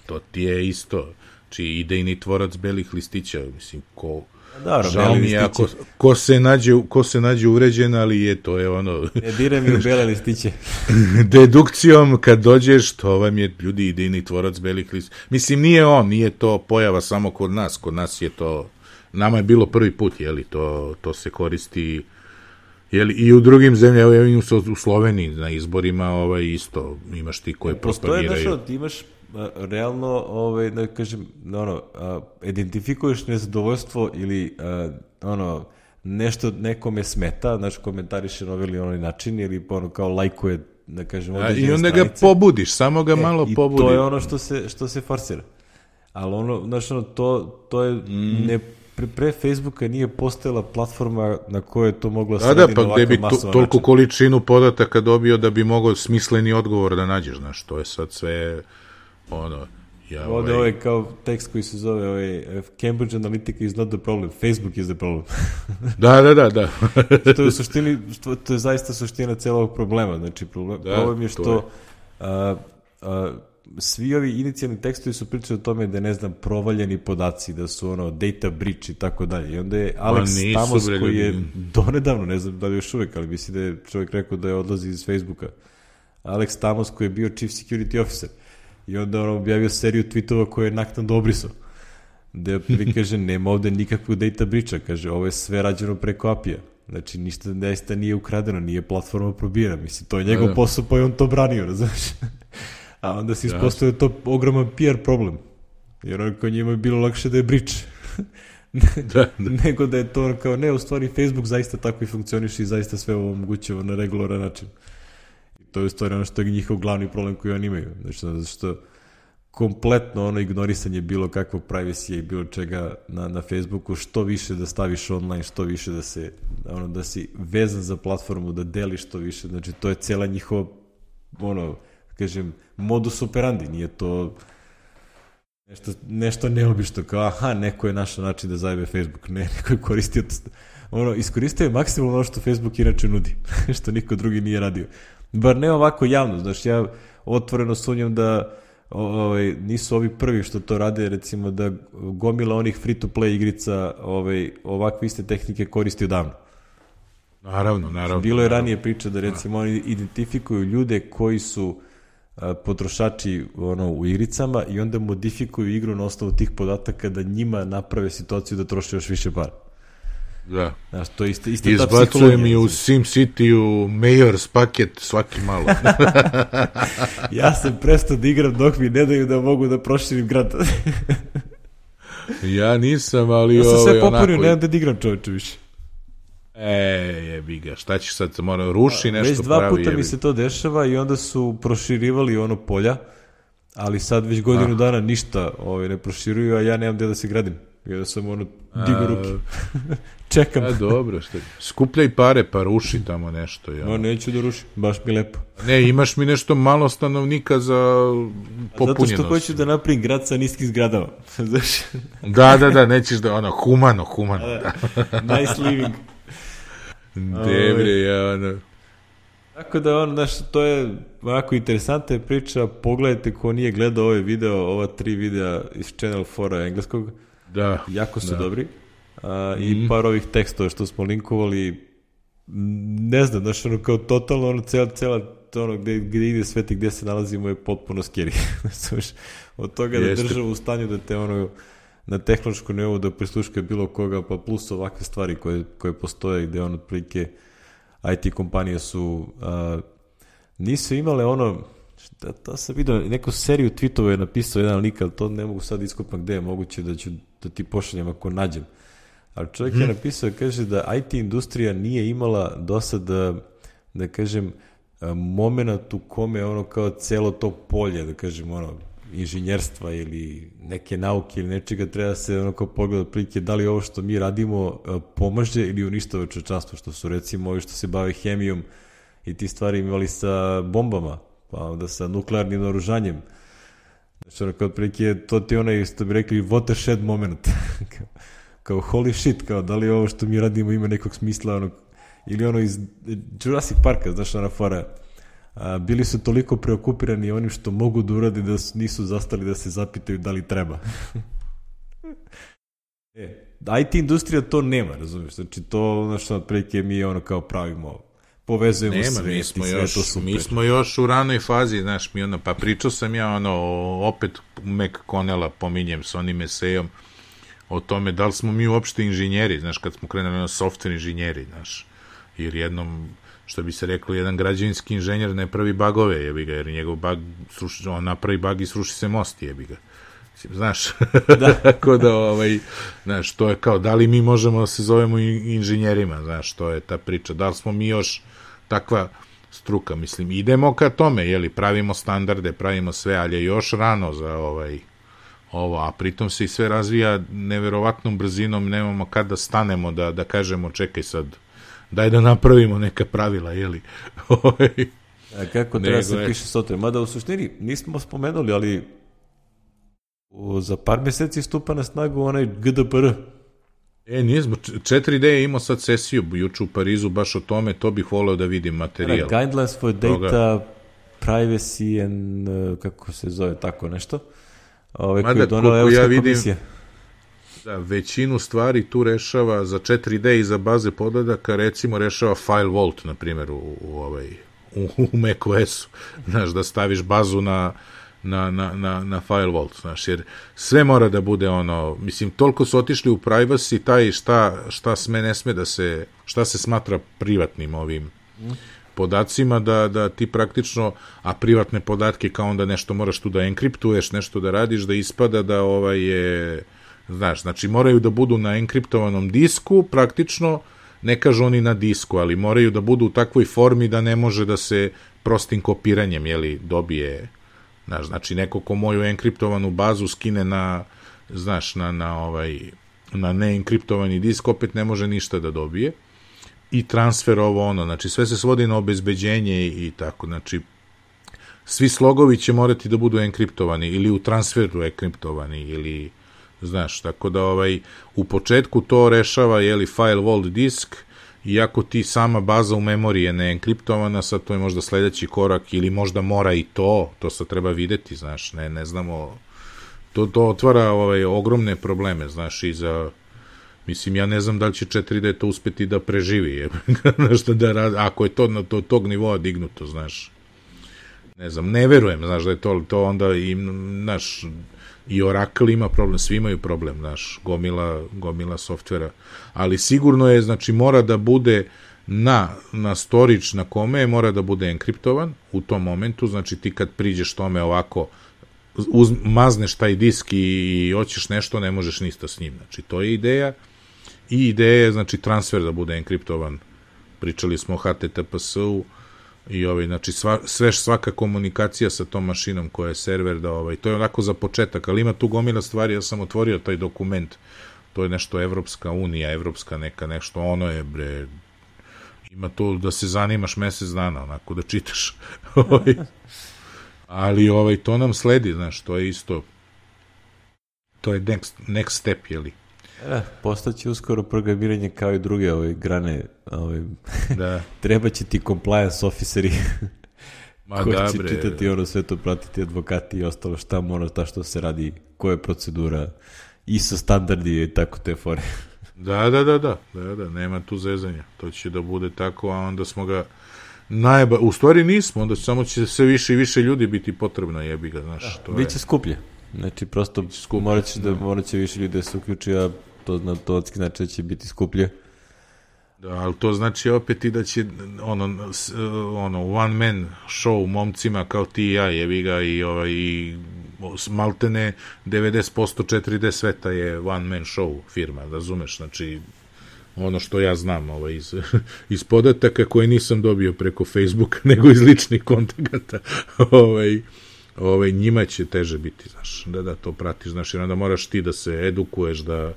to ti je isto, idejni tvorac belih listića, mislim, Dobro, žao mi je ako ko se nađe uvređen, ali to je ono... Ne diraj mi u bele listiće. Dedukcijom, kad dođeš, to vam je ljudi idejni tvorac belih listića. Mislim, nije to pojava samo kod nas je to, nama je bilo prvi put, to se koristi, i u drugim zemljama, u Sloveniji na izborima isto imaš ti koje propagiraju. Postoje ti imaš realno, da kažem, identifikuješ nezadovoljstvo ili nešto nekome smeta, znači komentariše na ovaj ili onaj način, ili kao lajkuje, da kažem, određene stranice. I onda ga pobudiš, samo ga malo pobudiš. I to je ono što se forsira. Ali to je pre Facebooka nije postojala platforma na kojoj je to moglo srediti na ovakav masovan način. Pa bi toliko količinu podataka dobio da bi mogao smisleni odgovor da nađeš, znaš, to je sad sve Ovdje ovaj kao tekst koji se zove Cambridge Analytica is not the problem, Facebook is the problem. Da. To je u suštini, to je zaista suština celog problema. Znači, problem je što svi ovi inicijalni tekstovi su pričali o tome da je, ne znam, provaljeni podaci, da su data breach i tako dalje. I onda je Alex Stamos, koji je donedavno, ne znam da li još uvek, ali misli da je čovjek rekao da je odlazi iz Facebooka. Alex Stamos, koji je bio chief security officer. I onda objavio seriju tweetova koje je naknadno obrisao. Da prvi kaže, nema ovde nikakvog data breacha, kaže, ovo je sve rađeno preko API-a. Znači, ništa zaista nije ukradeno, nije platforma probira. Mislim, to je njegov posao, pa je on to branio, razumiješ? A onda se ispostavio to ogroman PR problem. Jer kao njima je bilo lakše da je breach. Nego da je to kao, ne, u stvari Facebook zaista tako i funkcioniše i zaista sve ovo omogućava na regularan način. To je u stvari ono što je njihov glavni problem koji oni imaju. Znači, zato što kompletno ignorisanje bilo kakvog privacy i bilo čega na Facebooku, što više da staviš online, što više da si vezan za platformu, da deliš što više. Znači, to je cijela njihova, kažem, modus operandi. Nije to nešto neobično, kao, neko je našao način da zajebe Facebook. Ne, neko je koristio iskoristio je maksimalno ono što Facebook inače nudi, što niko drugi nije radio. Bar ne ovako javno, znači ja otvoreno sumnjam da nisu ovi prvi što to rade, recimo da gomila onih free-to-play igrica ovakve iste tehnike koristi odavno. Naravno. Bilo je ranije priča da recimo oni identifikuju ljude koji su potrošači u igricama i onda modifikuju igru na osnovu tih podataka da njima naprave situaciju da troše još više para. Da. Znaš, to je ista ta izbacujem i u SimCity-u Mayor's paket svaki malo. Ja sam prestao da igram dok mi ne daju da mogu da proširim grad. Ja nisam, ali ja sam sve popunio, nemam da igram čovječe više. Jebi ga, šta ćeš sad, moram ruši nešto već dva puta mi se to dešava i onda su proširivali polja, ali sad već godinu dana ništa ne proširuju, a ja nemam gde da se gradim. Ja sam digu ruke. Čekam. Dobro, skupljaj pare pa ruši tamo nešto. Ja. Neću da rušim, baš mi lepo. Ne, imaš mi nešto malo stanovnika za popunjenost. Zato što hoću da napravim grad sa niskim zgradama. Da, nećeš da, humano. Nice living. Debre, Tako da, to je ovako interesantna priča. Pogledajte ko nije gledao ovaj video, ova 3 videa iz Channel 4 engleskog. Da. Jako su dobri. I par ovih tekstova što smo linkovali, ne znam, kao totalno cela gde ide svet i gde se nalazimo je potpuno scary. Od toga da država u stanju da te na tehnološkom nivou da prisluška bilo koga, pa plus ovakve stvari koje postoje gde otprilike IT kompanije su nisu imale to sam vidio, neku seriju tweetova je napisao jedan lik, ali to ne mogu sad iskopam gde je moguće da ti pošaljem ako nađem. Ali čovjek je napisao, kaže da IT industrija nije imala do sada, da kažem, moment u kome kao celo to polje, da kažem, inženjerstva ili neke nauke ili nečega treba se kao pogleda prilike da li ovo što mi radimo pomaže ili uništava čovječanstvo, što su recimo ovi što se bave hemijom i ti stvari imali sa bombama, pa onda sa nuklearnim naoružanjem. Znači, kao prilike, to ti što bi rekli watershed moment. Kao holy shit, kao da li ovo što mi radimo ima nekog smisla, ili iz Jurassic Parka, znaš, fora. Bili su toliko preokupirani onim što mogu da uradi da nisu zastali da se zapitaju da li treba. IT industrija to nema, razumiješ? Znači to, znači, otprilike mi kao pravimo, povezujemo sve, to super. Mi smo još u ranoj fazi, znaš, pa pričao sam ja, opet McConnella pominjem s onim esejom, o tome da li smo mi uopšte inženjeri, znaš, kad smo krenuli na software inženjeri, znaš, jer jednom, što bi se reklo, jedan građevinski inženjer ne pravi bagove, jebi ga, jer njegov bag, on napravi bag i sruši se most, jebi ga. Znaš, tako da, znaš, to je kao, da li mi možemo da se zovemo inženjerima, znaš, to je ta priča, da li smo mi još takva struka, mislim, idemo ka tome, jeli, pravimo standarde, pravimo sve, ali je još rano za ovo, a pritom se i sve razvija neverovatnom brzinom, nemamo kada stanemo da kažemo, čekaj sad, daj da napravimo neka pravila, jeli. A kako treba se piše software? Mada u suštini nismo spomenuli, ali za par meseci stupa na snagu onaj GDPR. Nismo, 4D je imao sad sesiju juče u Parizu baš o tome, to bih voleo da vidim materijal. Guidelines for data privacy and, kako se zove, tako nešto. Mada, koliko ja vidim, da, većinu stvari tu rešava za 4D i za baze podataka, recimo rešava File Vault, na primjer, u macOS-u, znaš, da staviš bazu na File Vault, znaš, jer sve mora da bude mislim, toliko su otišli u privacy, taj šta sme, ne sme da se, šta se smatra privatnim ovim podacima, da ti praktično, a privatne podatke kao onda nešto moraš tu da enkriptuješ, nešto da radiš, da ispada da je, znaš, znači moraju da budu na enkriptovanom disku, praktično, ne kažu oni na disku, ali moraju da budu u takvoj formi da ne može da se prostim kopiranjem, jeli, dobije, znaš, znači neko ko moju enkriptovanu bazu skine na neenkriptovani disk, opet ne može ništa da dobije. I transfer znači sve se svodi na obezbeđenje i tako, znači svi slogovi će morati da budu enkriptovani ili u transferu enkriptovani ili, znaš, tako da u početku to rešava, jeli, file vault disk, iako ti sama baza u memoriji je neenkriptovana, sad to je možda sledeći korak ili možda mora i to sad treba videti, znaš, ne znamo, to otvara ogromne probleme, znaš, i za, mislim, ja ne znam da li će 4D to uspeti da preživi, nešto da radi, ako je to na tog nivoa dignuto, znaš, ne znam, ne verujem, znaš, da je to onda i, znaš, i Oracle ima problem, svi imaju problem, znaš, gomila softvera, ali sigurno je, znači, mora da bude na storage na kome mora da bude enkriptovan u tom momentu, znači ti kad priđeš tome ovako, mazneš taj disk i hoćeš nešto, ne možeš ništa s njim, znači to je ideja, i ideja je, znači, transfer da bude enkriptovan, pričali smo o HTTPS-u, i znači svaka komunikacija sa tom mašinom koja je server, to je onako za početak, ali ima tu gomila stvari, ja sam otvorio taj dokument, to je nešto Evropska unija, evropska neka nešto, ono je, bre, ima to da se zanimaš mesec dana, onako da čitaš, ali to nam sledi, znaš, to je isto, to je next step, jeli? Postaće uskoro programiranje kao i druge grane, da. Treba će ti compliance officeri koji će čitati sve to, pratiti advokati i ostalo, šta mora, što se radi, koja je procedura, ISO standardi i tako te fore. Da, nema tu zezanja, to će da bude tako, a onda smo ga u stvari nismo, onda samo će sve više i više ljudi biti potrebno, jebi ga, znaš. Biće skuplje, znači prosto morat će više ljudi da se uključi, a to znači da će biti skuplje. Da, ali to znači opet i da će one man show momcima kao ti i ja, jebi ga, i maltene 90% 4D sveta je one man show firma, razumeš, znači ono što ja znam iz podataka koje nisam dobio preko Facebooka, nego iz ličnih kontakata, njima će teže biti, znaš, da to pratiš, znaš, jer onda moraš ti da se edukuješ, da,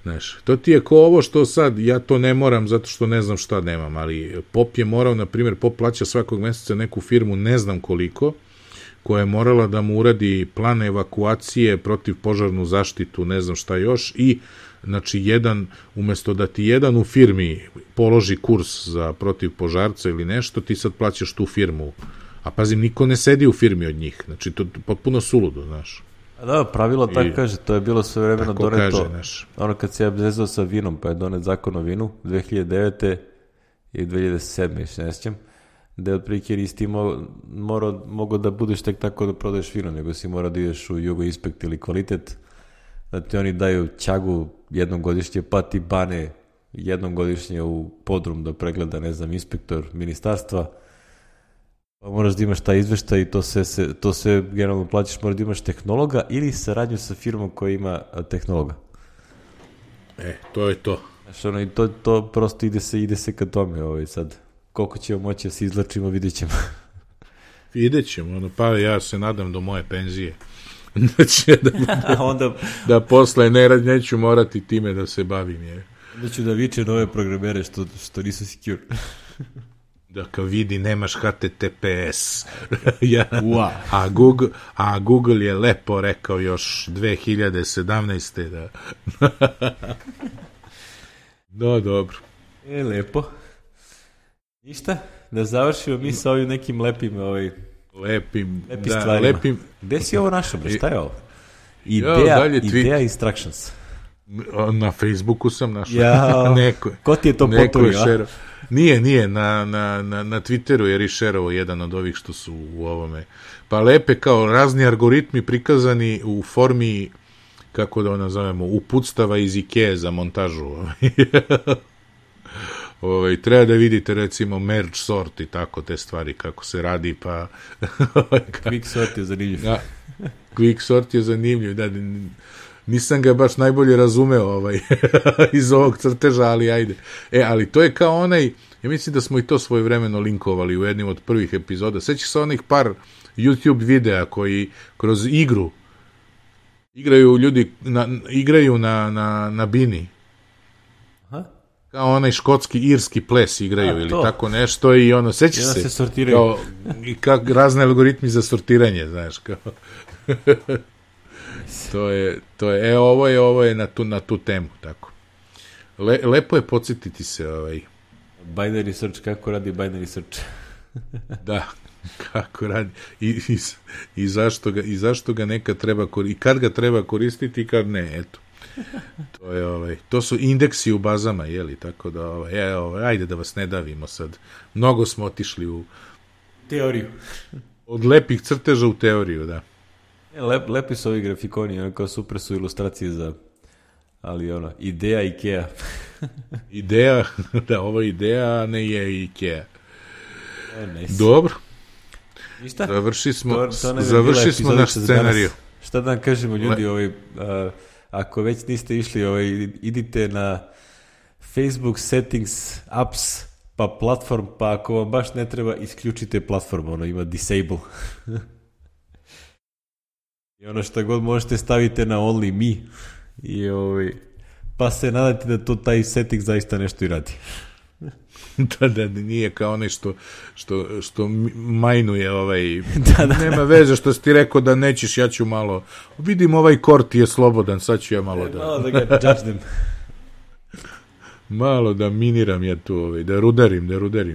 znaš, to ti je ko ovo što sad, ja to ne moram zato što ne znam šta nemam, ali POP je morao, na primjer, POP plaća svakog meseca neku firmu, ne znam koliko, koja je morala da mu uradi plan evakuacije, protiv požarnu zaštitu, ne znam šta još, i znači umesto da ti jedan u firmi položi kurs za protiv požarca ili nešto, ti sad plaćaš tu firmu, a pazim, niko ne sedi u firmi od njih, znači to je potpuno suludo, znaš. A da, pravilo tako kaže, to je bilo sve vremeno doneto, ono kad se ja zezao sa vinom, pa je donet zakon o vinu 2009. i 2007. ne sjećam, da je otprilike nisi ti mogao da budeš tek tako da prodaješ vino, nego si morao da ideš u Jugo Inspekt ili Kvalitet, da ti oni daju ćagu jednom godišnje, pa ti bane jednom godišnje u podrum da pregleda, ne znam, inspektor ministarstva, pa moraš da imaš taj izveštaj i to sve generalno plaćaš, moraš da imaš tehnologa ili saradnju sa firmom koja ima tehnologa. To je to. Znaš, ono, i to prosto ide se ka tome, sad. Koliko ćemo moći da se izlačimo, vidjet ćemo. Vidjet ćemo, pa ja se nadam do moje penzije. Da će da posle neću morati time da se bavim. Onda ću da viče nove programere što nisu secure. Da kao vidi, nemaš HTTPS. A Google je lepo rekao još 2017. da... No, dobro. Lepo. Ništa, da završimo mi sa ovim nekim lepim stvarima. Gde si ovo našao, šta je ovo? Ideja Instructions. Na Facebooku sam našao. Ko ti je to poturio? Nije, na Twitteru je rešerovo jedan od ovih što su u ovome. Pa lepe kao razni algoritmi prikazani u formi, kako da nazovemo, uputstava iz Ikea za montažu. Treba da vidite recimo merge sort i tako te stvari kako se radi, pa quick sort je zanimljiv. Quick sort je zanimljiv, da, nisam ga baš najbolje razumeo iz ovog crteža, ali ajde. Ali to je kao onaj, ja mislim da smo i to svojevremeno linkovali u jednim od prvih epizoda. Sećaš se onih par YouTube videa koji kroz igru igraju ljudi, igraju na bini. Kao onaj škotski, irski ples igraju ili tako nešto i ono, sećaš se? Se sortiraju. I kako razne algoritmi za sortiranje, znaš, kao. Ovo je na tu temu, tako. Lepo je podsjetiti se binary search, kako radi binary search. Da, kako radi. I zašto ga nekad treba koristiti, i kad ga treba koristiti i kad ne, eto. To su indeksi u bazama, tako da, ajde da vas ne davimo sad. Mnogo smo otišli u teoriju. Od lepih crteža u teoriju, da. Lepi su ovi grafikoni, kao super su ilustracije za, ali ideja Ikea. Ideja, da, ovo je ideja, a ne je Ikea. Dobro. Ništa? Završi smo naš scenariju. Šta da nam kažemo ljudi, ako već niste išli, idite na Facebook settings, apps, pa platform, pa ako vam baš ne treba, isključite platform, ima disable. I ono što god možete stavite na only me. Pa se nadate da to taj setting zaista nešto i radi. Da, nije kao onaj što majnuje nema veze što si ti rekao da nećeš, ja ću malo, vidim ovaj kort je slobodan, sad ću ja malo malo da ga judge them. Malo da miniram ja tu, da rudarim,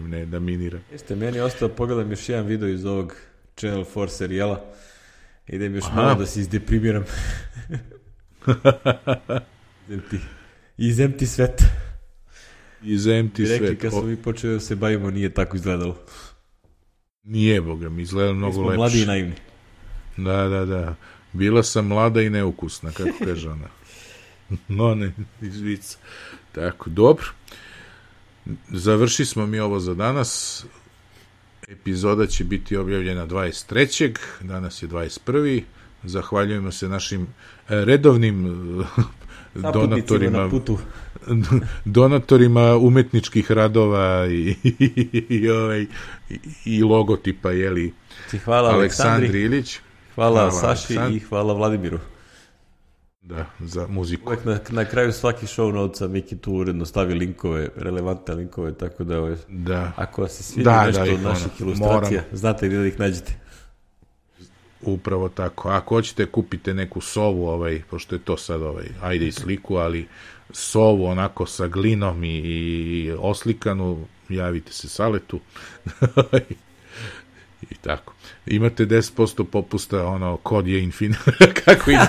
ne da miniram. Jeste, meni je ostao, pogledam još jedan video iz ovog Channel 4 serijala, idem još malo da se izdeprimiram. Izemti svet. Rekli kad smo mi počeli da se bavimo, nije tako izgledalo. Nije, boga mi, izgledalo mnogo lepše. Mi smo mladi i naivni. Da. Bila sam mlada i neukusna, kako kaže ona. No, ne, izvica. Tako, dobro. Završi smo mi ovo za danas. Epizoda će biti objavljena 23. Danas je 21. Zahvaljujemo se našim redovnim donatorima umetničkih radova i logotipa, hvala Aleksandri Ilić. Hvala Saši i hvala Vladimiru. Da, za muziku. Uvijek na kraju svaki show notesa Miki tu uredno stavi linkove, relevantne linkove, tako da ako vas se sviđa nešto od naših ilustracija, znate gdje da ih nađete. Upravo tako. Ako hoćete kupite neku sovu, pošto je to sad ajde i sliku, ali sovu onako sa glinom i oslikanu, javite se Saletu. I tako. Imate 10% popusta, ono, kod je infin. Kako ima?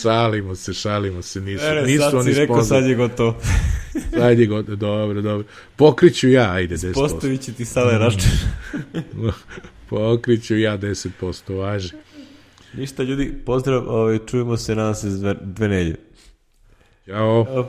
Šalimo se, nisu oni rekao, sad je gotovo. Sad je gotovo, dobro. Pokriću ja, ajde 10%. Postavit će ti sada račun. Pokriću ja 10%, važi. Ništa ljudi, pozdrav, čujemo se, nadam se, 2 nedjelje. Ćao.